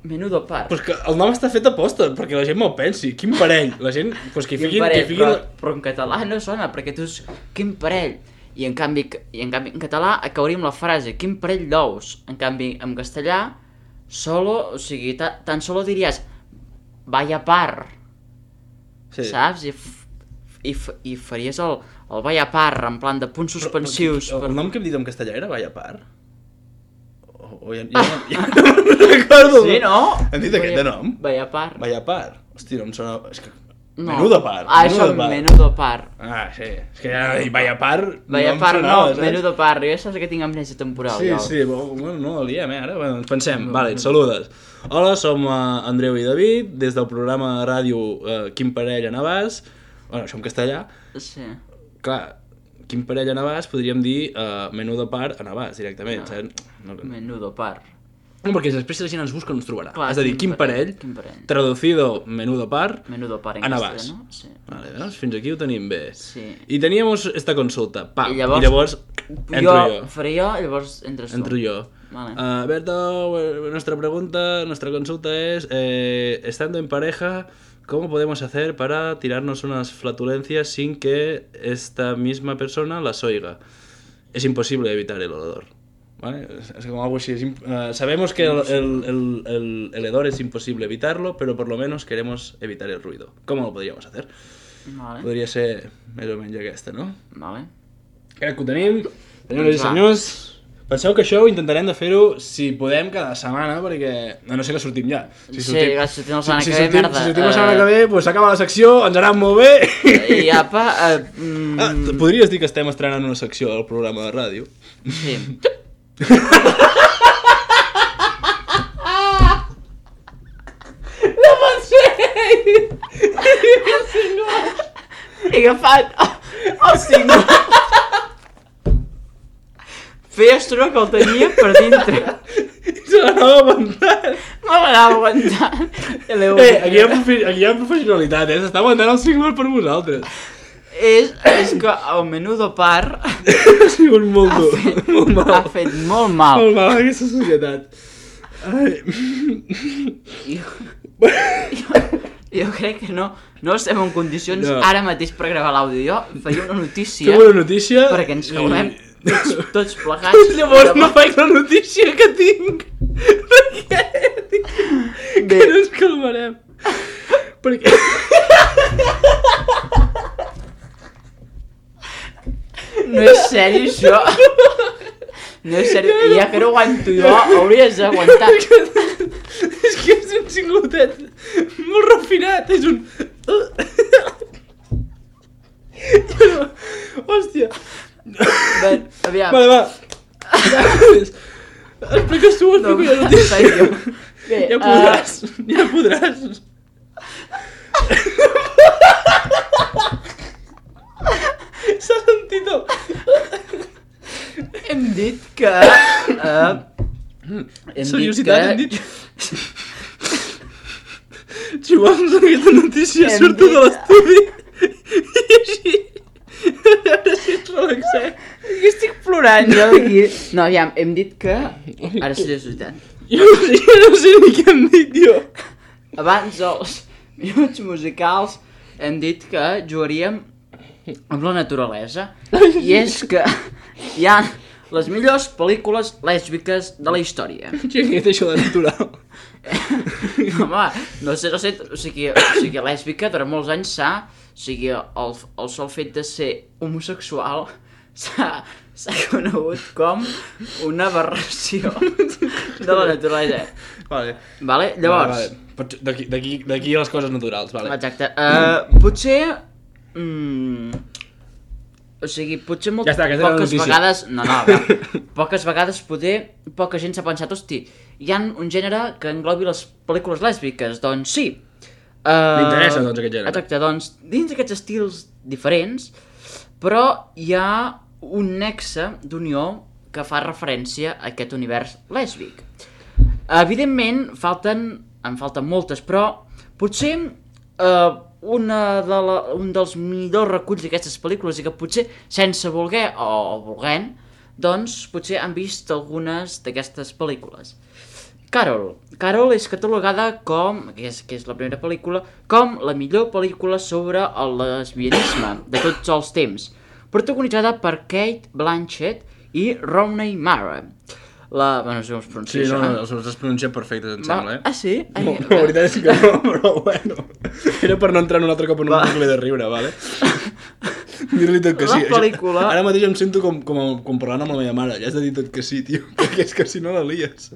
Menudo par. Però que el nom està fet a posta, perquè la gent me'l pensi. Quin parell? La gent, pues que Quin parell, però en català no sona, perquè tu dius, quin parell? I en canvi en català acabaríem la frase, quin parell d'ous? En canvi, en castellà, solo, o sigui, tan solo diries, vaya par, Sí. saps? I faries el vaya par, en plan de punts suspensius. El nom que hem dit en castellà era vaya par? O ja no recordo. Sí, no? Hem dit aquest de nom? Vaya par. Vaya par. Hòstia, no em sona... És que... No. Menuda par. Això, menudo par. Ah, sí. És que ja vaya par... Vaya em par, sonava, no, saps? menudo par. Jo ja saps que tinc amnèsia temporal. Sí, jo. sí, bueno, no el diem, ara. Bueno, ens pensem. Vale, saludes. Hola, som Andreu i David, des del programa de ràdio Quin parell a Navàs. Bueno, això en castellà. Sí. Clar, quin parell a Navàs podríem dir menudo par a Navàs, directament, saps? No, Menudo par. no, perquè després si la gent ens busca no ens trobarà. Clar, Has de dir quin parell, traducido menudo par Menudo par en a Navàs. castellano, sí. Vale, veus? Fins aquí ho tenim bé. Sí. I teníamos esta consulta, pam, I i llavors entro jo. Faré jo, llavors entres tu. Entro yo. Vale. Berto, nuestra consulta es, estando en pareja, ¿cómo podemos hacer para tirarnos unas flatulencias sin que esta misma persona las oiga? Es imposible evitar el olor. ¿Vale? Es como algo así. Sabemos que el hedor es imposible evitarlo, pero por lo menos queremos evitar el ruido. ¿Cómo lo podríamos hacer? Vale. Podria ser més o menys aquesta, no? Vale. Crec que ho tenim. Senyores i senyors, penseu que això ho intentarem de fer-ho, si podem, cada setmana, perquè a no ser que sortim ja. Sí, clar, si sortim la setmana que ve, merda. Si sortim la setmana que ve, doncs s'acaba la secció, ens anà molt bé. I apa... Podries dir que estem estrenant una secció al programa de ràdio? Sí. No pot ser! He agafat el single. Feia estona que el tenia per dintre. Se l'anava aguantant. Me l'anava aguantant. Aquí hi ha professionalitat, s'està aguantant el single per vosaltres. És que el menudo par Ha sigut molt dur, molt mal. ha fet molt mal. Molt mal aquesta societat. Jo crec que no estem en condicions No. ara mateix per gravar l'àudio. Jo faria una notícia Fem una notícia... perquè ens caurem tots plegats. Llavors no faig la notícia que tinc. Perquè dic que no ens calmarem. Perquè... No és sèrio, això. No és sèrio. I ja que no aguanto jo, hauries d'aguantar. És que és un singlotet molt refinat, és un... Hòstia. Bé, aviam. Vale, va. Expliques tu, explico jo la notícia. Bé, Ja podràs, ja podràs. S'ha sentit el... hem dit que... Seriositat, hem dit... Si vols aquesta notícia Hem surto dit- de l'estudi i així... A veure si ens relaxem. Jo estic plorant, jo d'aquí. No, aviam, hem dit que... Ara seriositat. Jo no sé ni què hem dit, jo. Abans dels minuts musicals hem dit que jugaríem amb la naturalesa. I és que hi ha les millors pel·lícules lèsbiques de la història. Què és això de natural? Home, no sé, o sigui, lèsbica durant molts anys o sigui, el sol fet de ser homosexual s'ha conegut com una aberració de la naturalesa. Vale? Llavors... Vale. D'aquí les coses naturals, vale. Exacte. Potser... o sigui, potser Ja està, aquesta era la poques notícia. vegades... No, poques vegades poder poca gent s'ha pensat, hosti, hi ha un gènere que englobi les pel·lícules lèsbiques. Doncs sí. M'interessa, doncs, aquest gènere. Exacte, doncs, dins d'aquests estils diferents, però hi ha un nexe d'unió que fa referència a aquest univers lèsbic. Evidentment, en falten moltes, però potser un dels millors reculls d'aquestes pel·lícules i que potser sense voler o volent, doncs potser han vist algunes d'aquestes pel·lícules. Carol és catalogada com, que és la primera pel·lícula, com la millor pel·lícula sobre el lesbianisme de tots els temps, protagonitzada per Cate Blanchett i Rooney Mara. Bueno, no sé com es pronuncia això. Sí, no, els pronuncia perfectes, em sembla, Ah, sí? No, la veritat és que no, però bueno. Era per no entrar en un altre cop en un bucle de riure, vale? Dir-li tot que sí. La pel·lícula... Ara mateix em sento com parlant amb la meva mare. Ja has de dir tot que sí, tio, perquè és que si no la lies.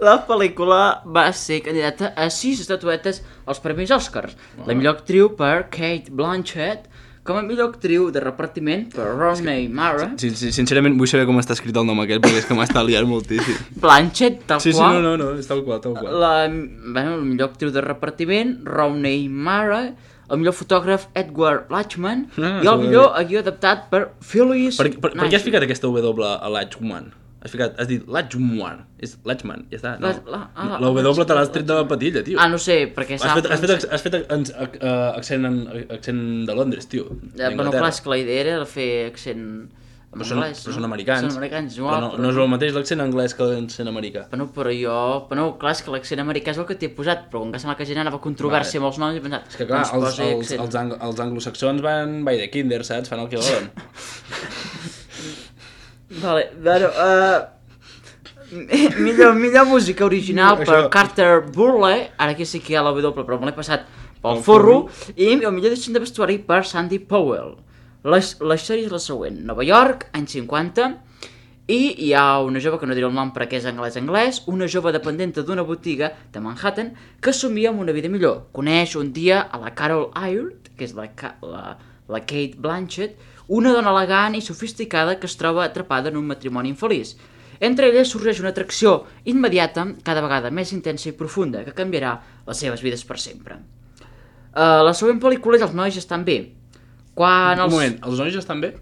La pel·lícula va ser candidata a 6 estatuetes als Premis Oscars. La millor actriu per Cate Blanchett, com a millor actriu de repartiment per Rooney Mara. Sí, sincerament vull saber com està escrit el nom aquest, perquè és que m'està liant moltíssim. Blanchett, tal qual. Sí, no, és tal qual. La millor actriu de repartiment, Rooney Mara, el millor fotògraf, Edward Lachman, i el millor guió adaptat per Phyllis Per què has ficat aquesta W a Lachman? Has dit Lachman, és Lachman, ja està. La W te l'has tret de la patilla, tio. Ah, no sé, perquè has fet accent de Londres, tio. Bueno, clar, és que la idea era fer accent en anglès. Però són americans. Són americans, igual. No és el mateix l'accent anglès que l'accent americà. Però clar, és que l'accent americà és el que t'he posat, però com que sembla que generava controvèrsia amb els noms, he pensat... És que clar, els anglosaxons van by the kinder, saps? Fan el que volen. Vale, bueno, millor música original per Carter Burley, ara aquí sí que hi ha la W, però me l'he passat pel forro, i el millor disseny de vestuari per Sandy Powell. La història és la següent: Nova York, anys 50, i hi ha una jove, que no diré el nom perquè és anglès, una jove dependenta d'una botiga de Manhattan que somia amb una vida millor. Coneix un dia a la Carol Ayrd, que és la Cate Blanchett, una dona elegant i sofisticada que es troba atrapada en un matrimoni infeliç. Entre elles sorgeix una atracció immediata, cada vegada més intensa i profunda, que canviarà les seves vides per sempre. La següent pel·lícula és Els nois estan bé. Un moment, els nois estan bé?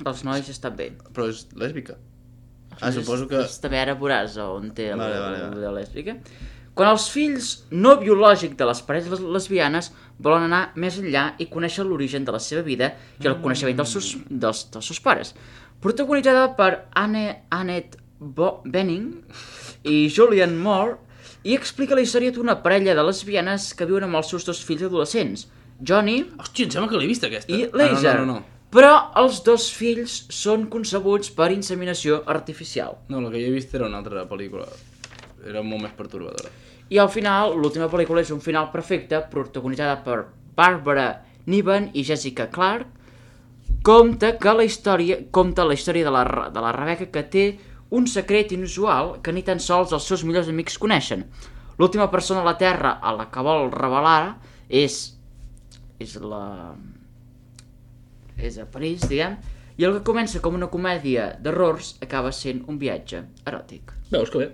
Els nois estan bé. Però és lèsbica. Suposo que... També ara veuràs on té la lèsbica. Quan els fills no biològics de les parelles lesbianes volen anar més enllà i conèixer l'origen de la seva vida i el coneixement dels seus pares. Protagonitzada per Annette Bening i Julianne Moore, i explica la història d'una parella de lesbianes que viuen amb els seus 2 fills adolescents, Johnny... Hòstia, em sembla que l'he vist aquesta. I Laser. No. Però els 2 fills són concebuts per inseminació artificial. No, el que jo he vist era una altra pel·lícula. Era molt més pertorbadora. I al final, l'última pel·lícula és un final perfecte, protagonitzada per Barbara Niven i Jessica Clarke. Conta la història de la Rebecca, que té un secret inusual que ni tan sols els seus millors amics coneixen. L'última persona a la Terra a la que vol revelar és a París, diguem, i el que comença com una comèdia d'errors acaba sent un viatge eròtic. Veus que bé.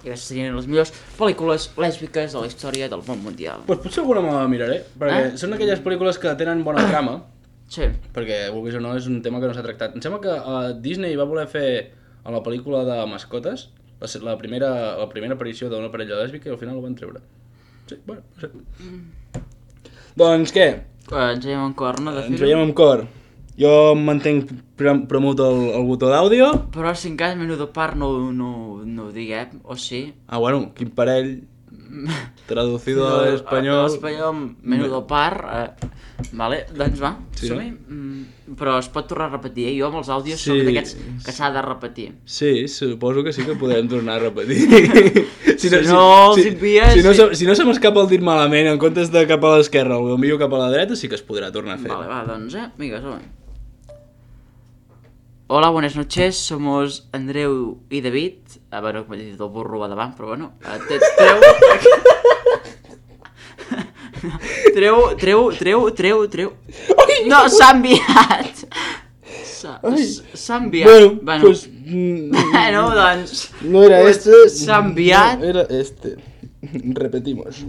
I aquestes serien les millors pel·lícules lèsbiques de la història del món mundial. Pues potser alguna me la miraré, perquè són aquelles pel·lícules que tenen bona trama, sí. Perquè, vulguis o no, és un tema que no s'ha tractat. Em sembla que Disney va voler fer a la pel·lícula de mascotes la primera aparició d'una parella lèsbica i al final ho van treure. Sí, bueno, no sé. Doncs què? Ens veiem en cor, no? Ens veiem en cor. Jo em mantenc premut el botó d'àudio. Però si en cas menudo par no ho diguem, o sí? Ah, bueno, quin parell traducido a l'espanyol. A l'espanyol, menudo par. Vale, doncs va, sí, som-hi. Però es pot tornar a repetir, Jo amb els àudios soc d'aquests que s'ha de repetir. Sí, suposo que sí que podem tornar a repetir. Si no els envies... Si no se m'escapa el dit malament, en comptes de cap a l'esquerra o envio cap a la dreta, sí que es podrà tornar a fer. Vale, va, doncs, vinga, som-hi. Hola, buenas noches, somos Andreu y David. Bueno, m'he dit el burro a davant, però bueno. Treu. No, s'ha enviat. S'ha enviat. Bueno, pues... Bueno, doncs... No era este. S'ha enviat. No era este. Repetimos.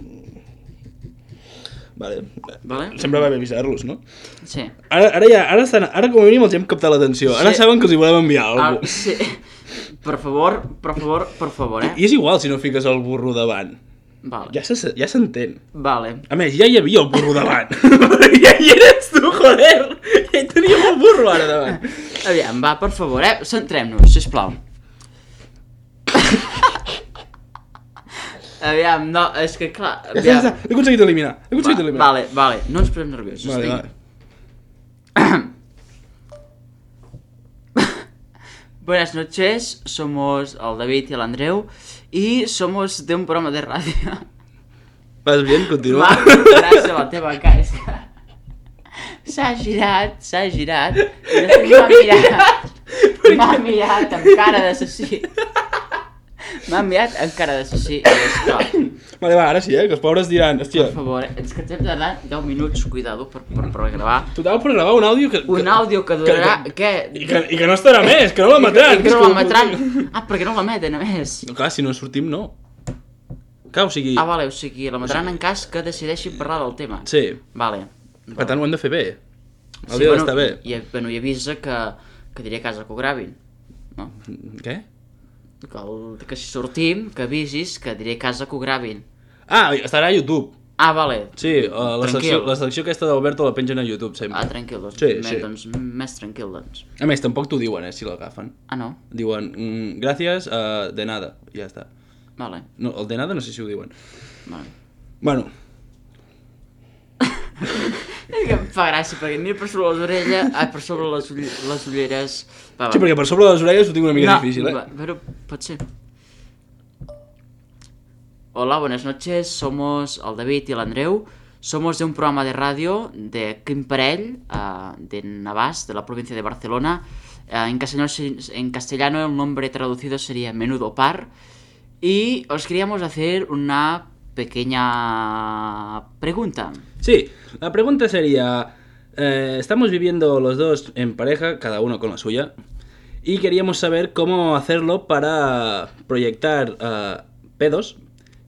Vale. Sempre va bé avisar-los, no? Sí. Ara com a mínim els hem captat l'atenció. Ara saben que els hi volem enviar alguna cosa. Sí. Per favor, I és igual si no fiques el burro davant. Vale. Ja s'entén. Vale. A més, ja hi havia el burro davant. Ja hi eres tu, joder. Ja hi teníem el burro ara davant. Aviam, va, per favor, centrem-nos, sisplau. Aviam, no, és que clar... Ja està, l'he aconseguit eliminar. Vale, no ens posem nerviosos. Vale. Buenas noches, somos el David y el Andreu y somos de un programa de radio. Vas bien? Continua. Gràcies a la teva cara. S'ha girat. I m'ha mirat amb cara d'assassí. M'ha mirat amb cara d'assassí. Vale, va, ara sí, que els pobres diran, hòstia... Per favor, és que ens hem de dar 10 minuts, cuidado, per gravar. Total, per gravar un àudio que... Un àudio que durarà... Què? I que no estarà més, que no l'emetran. I que no l'emetran. Perquè no l'emeten, a més. No, clar, si no sortim, no. Clar, o sigui... Vale, o sigui, l'emetran en cas que decideixin parlar del tema. Sí. Vale. Per tant, ho hem de fer bé. El dia d'estar bé. I avisa que diré a casa que ho gravin. No? Què? Que si sortim, que avisis que diré a casa que ho gravin. Ah, estarà a YouTube. Ah, vale. Sí, la secció aquesta d'Alberto la pengen a YouTube sempre. Ah, tranquil, doncs. Sí. Doncs més tranquil, doncs. A més, tampoc t'ho diuen, si l'agafen. Ah, no? Diuen, gràcies, de nada, i ja està. Vale. No, el de nada no sé si ho diuen. Vale. Bueno. És que em fa gràcia, perquè mira per sobre les orelles... Ai, per sobre les ulleres... Va. Sí, perquè per sobre les orelles ho tinc una mica difícil, Però pot ser. Hola, buenas noches, somos el David y el Andreu. Somos de un programa de radio de Quimparell, de Navàs, de la provincia de Barcelona. En castellano el nombre traducido sería Menudo Par. Y os queríamos hacer una pequeña pregunta. Sí, la pregunta sería... estamos viviendo los dos en pareja, cada uno con la suya. Y queríamos saber cómo hacerlo para proyectar pedos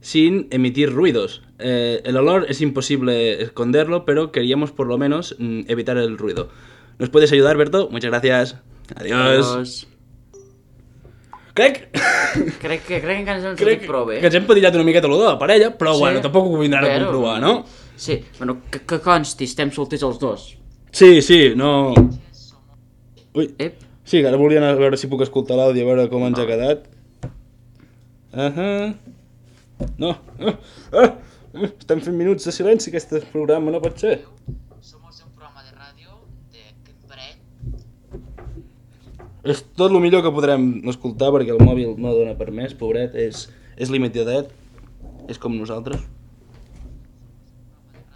sin emitir ruidos. El olor es imposible esconderlo, pero queríamos por lo menos evitar el ruido. ¿Nos puedes ayudar, Berto? Muchas gracias. Adiós. Crec que encara no ens ho dic prou bé. Que ens hem pedillat una miqueta l'olor de la parella, però sí, bueno, tampoc ho vindran a comprovar, no? Sí, bueno, que consti, estem solters els dos. Sí, no... Ui, Ep. sí, ara volien a veure si puc escoltar l'àudio, a veure com ens ha quedat. No, estem fent minuts de silenci, aquest programa no pot ser. Somos de un programa de ràdio de Quimparell. És tot el millor que podrem escoltar perquè el mòbil no dona per més, pobret, és limitadet, és com nosaltres.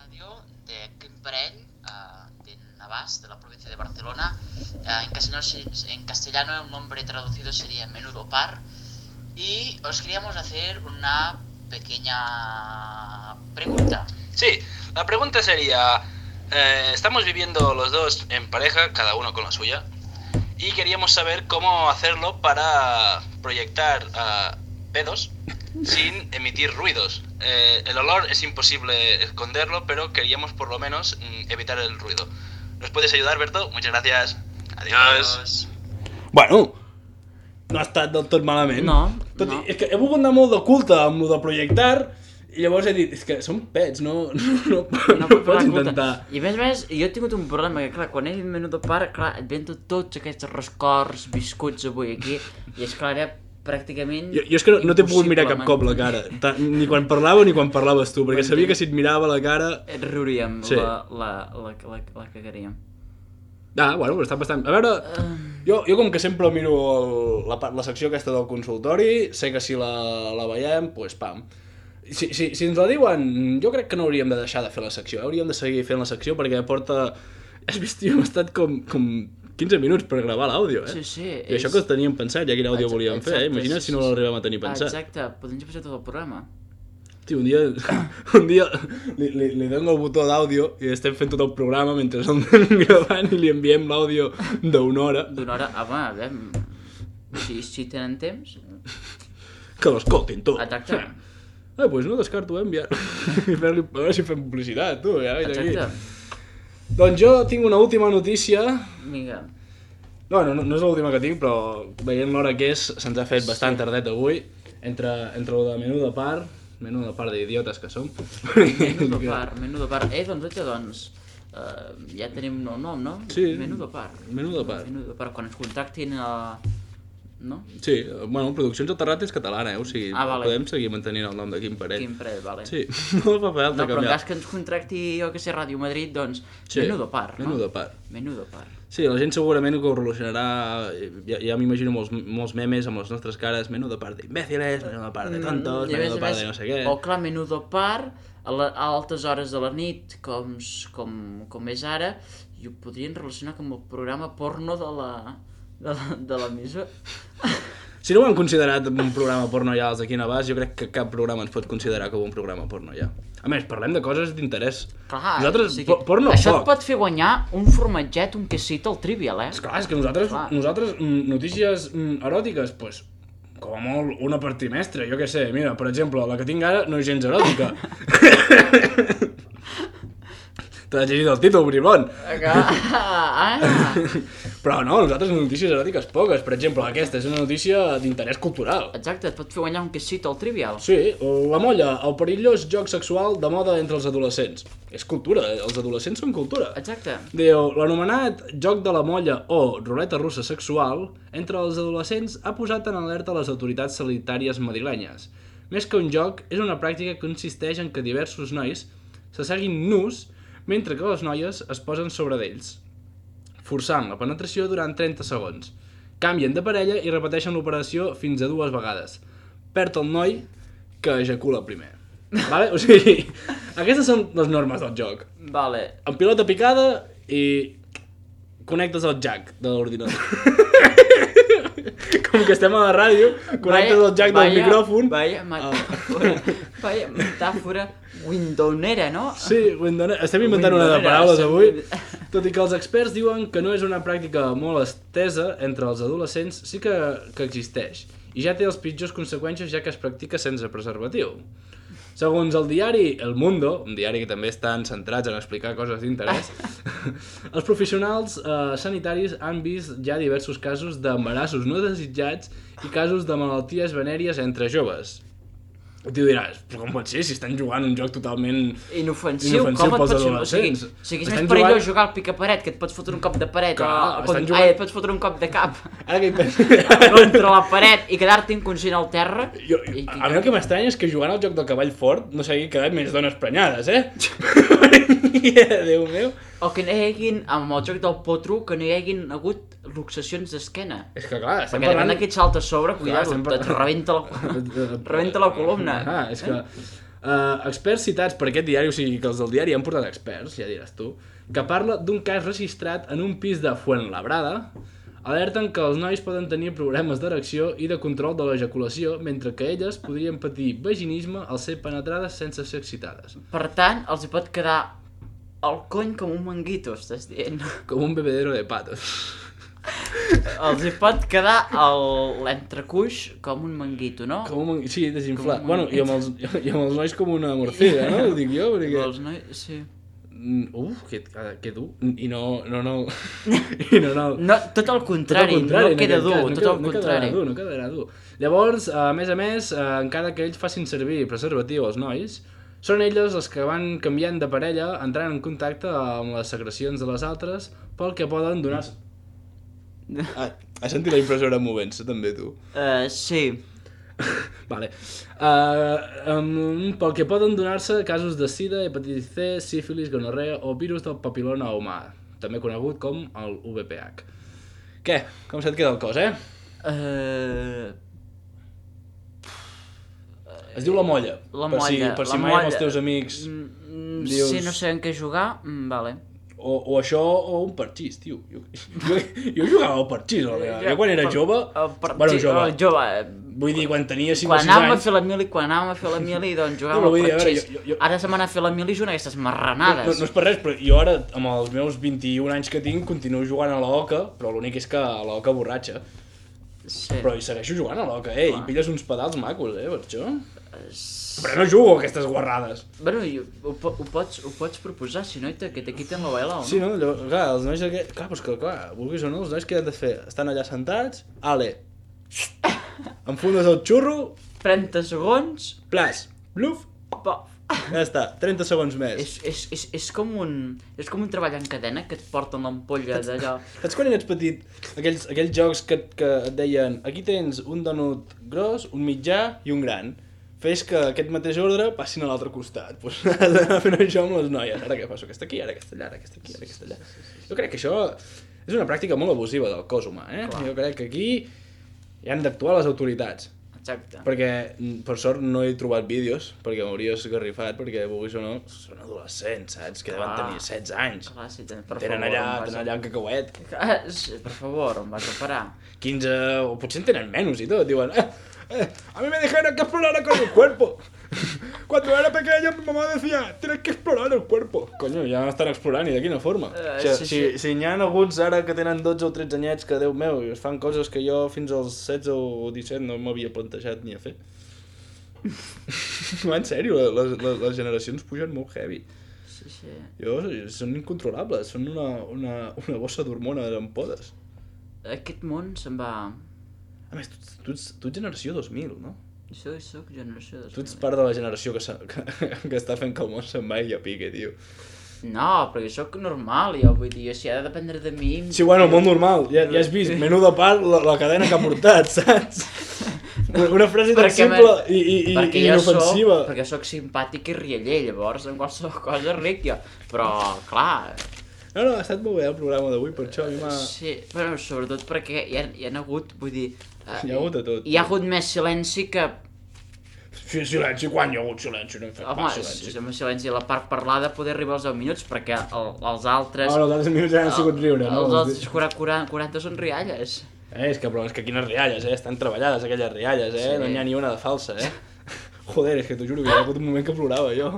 Radio de Quimparell, de Navàs, de la provincia de Barcelona. En castellano el nombre traducido sería Menudo Par. Y os queríamos hacer una pequeña pregunta. Sí, la pregunta sería, estamos viviendo los dos en pareja, cada uno con la suya, y queríamos saber cómo hacerlo para proyectar pedos sin emitir ruidos. El olor es imposible esconderlo, pero queríamos por lo menos evitar el ruido. ¿Nos puedes ayudar, Berto? Muchas gracias. Adiós. Bueno, no ha estat del tot malament. No. És que he volgut anar molt de culte amb el de projectar i llavors he dit, és que són pets, no pots intentar. I a més, jo he tingut un problema, que clar, quan he dit Menudo Par, clar, et ven tots aquests rescords viscuts avui aquí, i és clar, era pràcticament... Jo és que no t'he pogut mirar cap cop la cara, ni quan parlava ni quan parlaves tu, perquè sabia que si et mirava la cara... Et riuríem, sí. la cagaríem. Ah, bueno, però està bastant... A veure, jo com que sempre miro la secció aquesta del consultori, sé que si la veiem, doncs pam. Si ens la diuen, jo crec que no hauríem de deixar de fer la secció, hauríem de seguir fent la secció perquè porta... Has vist, tio, hem estat com 15 minuts per gravar l'àudio, Sí. I això que teníem pensat, ja quin àudio volíem fer, Imagina't si no l'arribem a tenir pensat. Exacte, podem passar tot el programa. Tio, un dia li dono el botó d'àudio i estem fent tot el programa mentre el anem gravant i li enviem l'àudio d'una hora. D'una hora? Home, a veure, si tenen temps... Que l'escoltin, tu. Exacte. Doncs no descarto enviar. A veure si fem publicitat, tu. Ja, exacte. Doncs jo tinc una última notícia. Vinga. No és l'última que tinc, però veient l'hora que és, se'ns ha fet bastant tardet avui. Entre lo de Menudo Par Menuda part d'idiotes que som. Menudo par. Doncs, ja tenim un nou nom, no? Sí. Menudo par. Quan ens contactin no? Sí, bueno, Produccions El Terrat és catalana, o sigui, vale. podem seguir mantenint el nom de Quim Parell. Quim Parell, vale. Sí, no fa falta No, però en canviar. cas que ens contracti, jo que sé, Ràdio Madrid, doncs, Sí, Menudo par, no? Menudo par. Menudo par. Sí, la gent segurament que ho relacionarà, ja m'imagino molts memes amb les nostres cares, menudo par d'imbèciles, menudo par de tontos, menudo par de no sé què. O clar, Menudo par, a altes hores de la nit, com és ara, i ho podrien relacionar amb el programa porno de l'emissora. Si no ho han considerat un programa porno ja els d'aquí a Navàs, jo crec que cap programa ens pot considerar com un programa porno ja. A més, parlem de coses d'interès. Clar, Nosaltres, o sigui, porno això poc. et pot fer guanyar un formatget, un quesito al Trivial, Esclar, és que nosaltres notícies eròtiques, doncs, com a molt una per trimestre, jo què sé. Mira, per exemple, la que tinc ara no és gens eròtica. T'has llegit el títol, bribon. Però no, nosaltres notícies eròtiques poques. Per exemple, aquesta és una notícia d'interès cultural. Exacte, et pot fer guanyar un quesito al Trivial. Sí, la molla, el perillós joc sexual de moda entre els adolescents. És cultura, els adolescents són cultura. Exacte. Diu, l'anomenat joc de la molla o ruleta russa sexual entre els adolescents ha posat en alerta les autoritats sanitàries madrilenyes. Més que un joc, és una pràctica que consisteix en que diversos nois s'asseguin nus mentre que les noies es posen sobre d'ells, forçant la penetració durant 30 segons. Canvien de parella i repeteixen l'operació fins a 2 vegades. Perd el noi que ejacula primer. Vale? O sigui, aquestes són les normes del joc. Vale. Amb pilota picada i connectes el jack de l'ordinador. Com que estem a la ràdio, connectes el jack del micròfon. Vaya metàfora windowera, no? Sí, estem inventant una de paraules avui. Tot i que els experts diuen que no és una pràctica molt estesa entre els adolescents, sí que existeix. I ja té les pitjors conseqüències ja que es practica sense preservatiu. Segons el diari El Mundo, un diari que també estan centrats en explicar coses d'interès, els professionals sanitaris han vist ja diversos casos d'embarassos no desitjats i casos de malalties venèries entre joves. I tu diràs, però com pot ser si estan jugant un joc totalment inofensiu com et pels pots... adolescents? O sigui, és més perillós jugar al picaparet, que et pots fotre un cop de paret, et pots fotre un cop de cap ara que contra la paret i quedar-te inconscient al terra. A mi el que m'estranya és que jugant al joc del cavall fort no s'hagi quedat més dones prenyades, Déu meu. O que no hi haguin, amb el joc del potro, que no hi haguin hagut luxacions d'esquena. És que clar, estem perquè parlant... depèn d'aquest salt a sobre, cuidado, et rebenta la columna. És que experts citats per aquest diari, o sigui que els del diari han portat experts, ja diràs tu, que parla d'un cas registrat en un pis de Fuenlabrada, alerten que els nois poden tenir problemes d'erecció i de control de l'ejaculació, mentre que elles podrien patir vaginisme al ser penetrades sense ser excitades. Per tant, els hi pot quedar el cony com un manguito, estàs dient. Com un bebedero de patos. Els hi pot quedar l'entrecuix com un manguito, no? Sí, desinflat. Bueno, i amb els nois com una morcilla, no? Ho dic jo, perquè... Els nois, sí. Que dur. I no... No, tot el contrari, no queda dur, tot el contrari. No quedarà dur. Llavors, a més, encara que ells facin servir preservatiu als nois, són elles els que van canviant de parella, entrant en contacte amb les secrecions de les altres, pel que poden donar-se... Has sentit la impressora movent-se, també, tu? Sí. Vale. Pel que poden donar-se casos de sida, hepatitis C, sífilis, gonorrea o virus del papil·loma humà, també conegut com el VPH. Què? Com se't queda el cos, Es diu la molla. La molla. Per si mai amb els teus amics dius... Si no sé en què jugar, vale. O això, o un parxís, tio. Jo jugava al parxís, jo quan era jove... Bueno, jove. Vull dir, quan tenia 5 o 6 anys... Quan anàvem a fer la mili, doncs jugàvem al parxís. Ara se m'ha fet la mili i una d'aquestes marranades. No és per res, però jo ara, amb els meus 21 anys que tinc, continuo jugant a l'oca, però l'únic és que a l'oca borratxa. Sí. Però hi segueixo jugant a l'oca, i pilles uns pedals macos, per això. Però no jugo a aquestes guarrades. Bueno, ho pots proposar, si no, que te quiten la baila, o no? Sí, no? Clar, els nois d'aquest... Clar, doncs que, vulguis o no, els nois què han de fer? Estan allà sentats, enfundes el xurro... 30 segons... Plas, Bluf. Pof. Ja està, 30 segons més. És com un treball en cadena que et porten l'ampolla d'allò. Saps quan eres petit, aquells jocs que et deien aquí tens un donut gros, un mitjà i un gran. Fes que aquest mateix ordre passin a l'altre costat. Pues has d'anar fent això amb les noies. Ara que passo aquesta aquí, ara aquesta allà, ara aquesta aquí, ara aquesta allà. Jo crec que això és una pràctica molt abusiva del cos humà, eh? Clar. Jo crec que aquí hi han d'actuar les autoritats. Exacte. Perquè, per sort, no he trobat vídeos, perquè m'hauria esgarrifat, perquè, vulguis o no, són adolescents, saps? Que deuen tenir 16 anys. Clar, sí, per tenen favor, allà un cacauet. Per favor, em vas a parar. 15, o potser en tenen menys i tot, diuen... a mí me dijeron que explorara con el cuerpo. Cuando era pequeño mi mamá decía, tienes que explorar el cuerpo. Coño, ja estan explorant i de quina forma. Si n'hi ha alguns ara que tenen 12 o 13 anyets que, Déu meu, es fan coses que jo fins als 16 o 17 no m'havia plantejat ni a fer. En sèrio, les generacions pugen molt heavy. Sí. Són incontrolables, són una bossa d'hormones amb podes. Aquest món se'n va... A més, tu ets generació 2000, no? Jo soc generació 2000. Tu ets part de la generació que està fent que el món se'n vagi a pique, tio. No, perquè soc normal, jo vull dir, si ha de dependre de mi... Sí, bueno, molt normal, ja has vist, menú de part, la cadena que ha portat, saps? Una frase tan simple i inofensiva. Perquè soc simpàtic i rialler, llavors en qualsevol cosa ric jo, però clar... No, ha estat molt bé el programa d'avui, per això a mi m'ha... Sí, però sobretot perquè hi ha hagut, vull dir... Hi ha hagut de tot. Hi ha hagut més silenci que... Sí, silenci, quan hi ha hagut silenci? No hem fet pas silenci. Home, silenci, la part parlada poder arribar als 10 minuts, perquè els altres... Els altres minuts ja han sigut riure, no? Els altres 40 són rialles. És que quines rialles, estan treballades aquelles rialles, Sí. No n'hi ha ni una de falsa, Joder, és que t'ho juro que hi ha hagut un moment que plorava jo.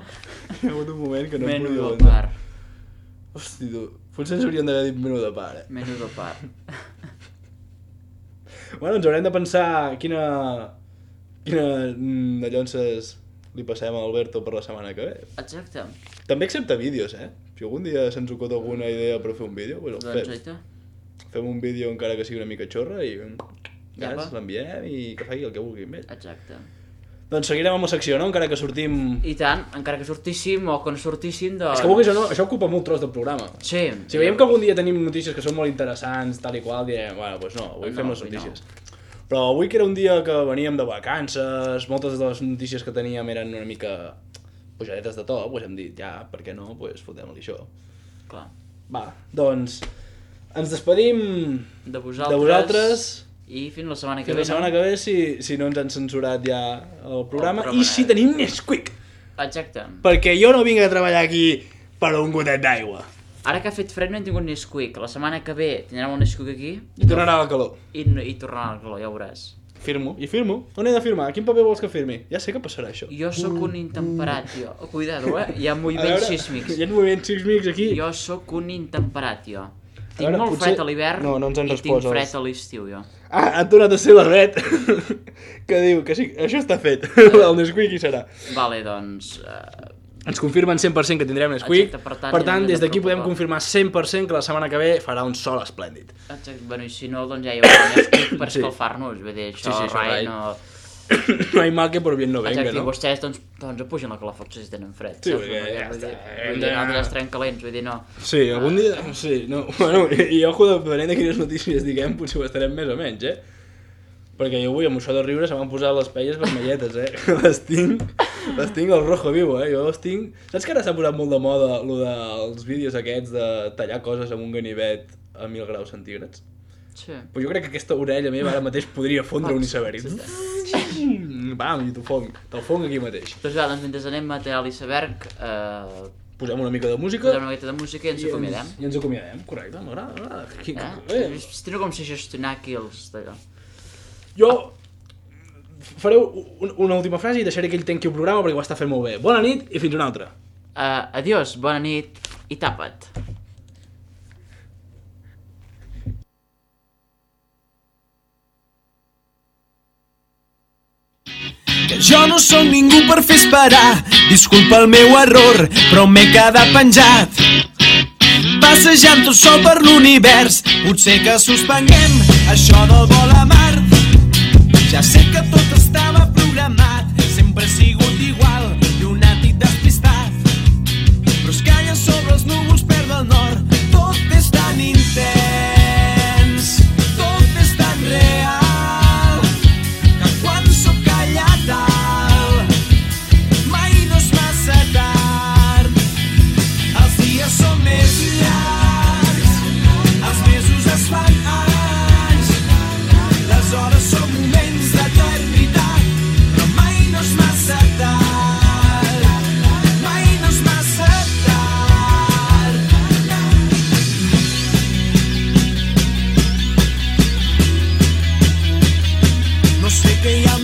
Hi ha hagut un moment que no em podia Menú de part. Hosti, tu, potser ens hauríem d'haver dit menú de part, Menú de part. Bueno, ens haurem de pensar quina de llonces li passem a Alberto per la setmana que ve. Exacte. També accepta vídeos, Si algun dia se'ns ocot alguna idea per fer un vídeo, doncs el fem. Fem un vídeo encara que sigui una mica xorra i l'enviem i que faci el que vulgui amb ell. Exacte. Doncs seguirem amb la secció, no? Encara que sortim... I tant, encara que sortíssim o que no sortíssim, doncs... És que vulguis o no, això ocupa molt tros del programa. Sí. Si veiem que algun dia tenim notícies que són molt interessants, tal i qual, direm, bueno, doncs no, avui fem les notícies. Però avui que era un dia que veníem de vacances, moltes de les notícies que teníem eren una mica pujadetes de to, doncs hem dit, ja, per què no, doncs fotem-li això. Clar. Va, doncs ens despedim de vosaltres i fins la setmana que ve. Fins la setmana que ve, si no ens han censurat ja el programa. I si tenim Nesquik. Exacte. Perquè jo no vinc a treballar aquí per un gotet d'aigua. Ara que ha fet fred no hem tingut Nesquik. La setmana que ve tindrem un Nesquik aquí. I tornarà la calor. I tornarà la calor, ja ho veuràs. Firmo. On he de firmar? Quin paper vols que firmi? Ja sé que passarà això. Jo sóc un intemperat, jo. Cuidado, Hi ha moviments sísmics. Hi ha moviments sísmics aquí. Jo sóc un intemperat, jo. Tinc molt fred a l'hivern i tinc fred a l'estiu, jo. Ha tornat a ser la Bet que diu que sí, això està fet. El Nesquik hi serà. Vale, doncs... Ens confirmen 100% que tindrem Nesquik. Exacte, per tant, des d'aquí podem confirmar 100% que la setmana que ve farà un sol esplèndid. Exacte, bueno, i si no, doncs ja hi haurà Nesquik per escalfar-nos. Vull dir, això rai no... No hay mal que por bien no venga, exacte, no? I vostès, doncs apugen la calefacció si tenen fred. Sí, perquè ja està. Vull dir, nosaltres estarem calents, vull dir, no. Sí, algun dia... Sí, no... Bueno, i ojo, depenent de quines notícies diguem, potser ho estarem més o menys, Perquè jo avui, amb això de riure, se m'han posat les pelles vermelletes, Les tinc al rojo vivo, Jo les tinc... Saps que ara s'ha posat molt de moda lo dels vídeos aquests de tallar coses amb un ganivet a 1000 graus centígrads? Sí. Però jo crec que aquesta orella meva ara mateix podria fondre un iceberg. Bam, i te'l fong aquí mateix. Doncs va, mentre anem a tallar l'iceberg... Posem una mica de música. Posem una mica de música i ens acomiadem. I ens acomiadem, correcte, m'agrada. Estic com si gestionar aquí els d'allò. Jo faré una última frase i deixaré que ell tanqui el programa perquè ho està fent molt bé. Bona nit i fins una altra. Adiós, bona nit i tapa't. Que jo no sóc ningú per fer esperar, disculpa el meu error, però m'he quedat penjat. Passejant tot sol per l'univers, potser que suspenguem això del vol a Mart. Ja sé que tot estava programat, sempre ha sigut igual,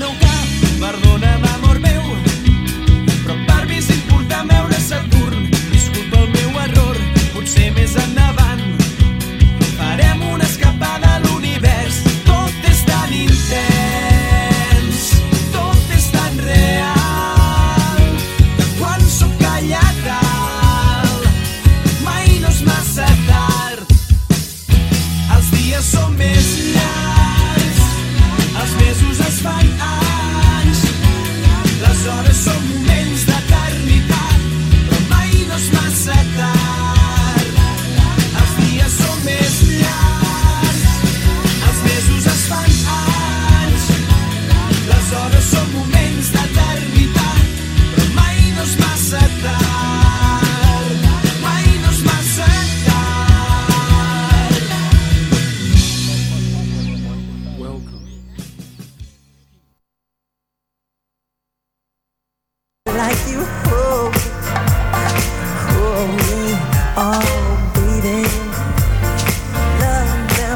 meu cap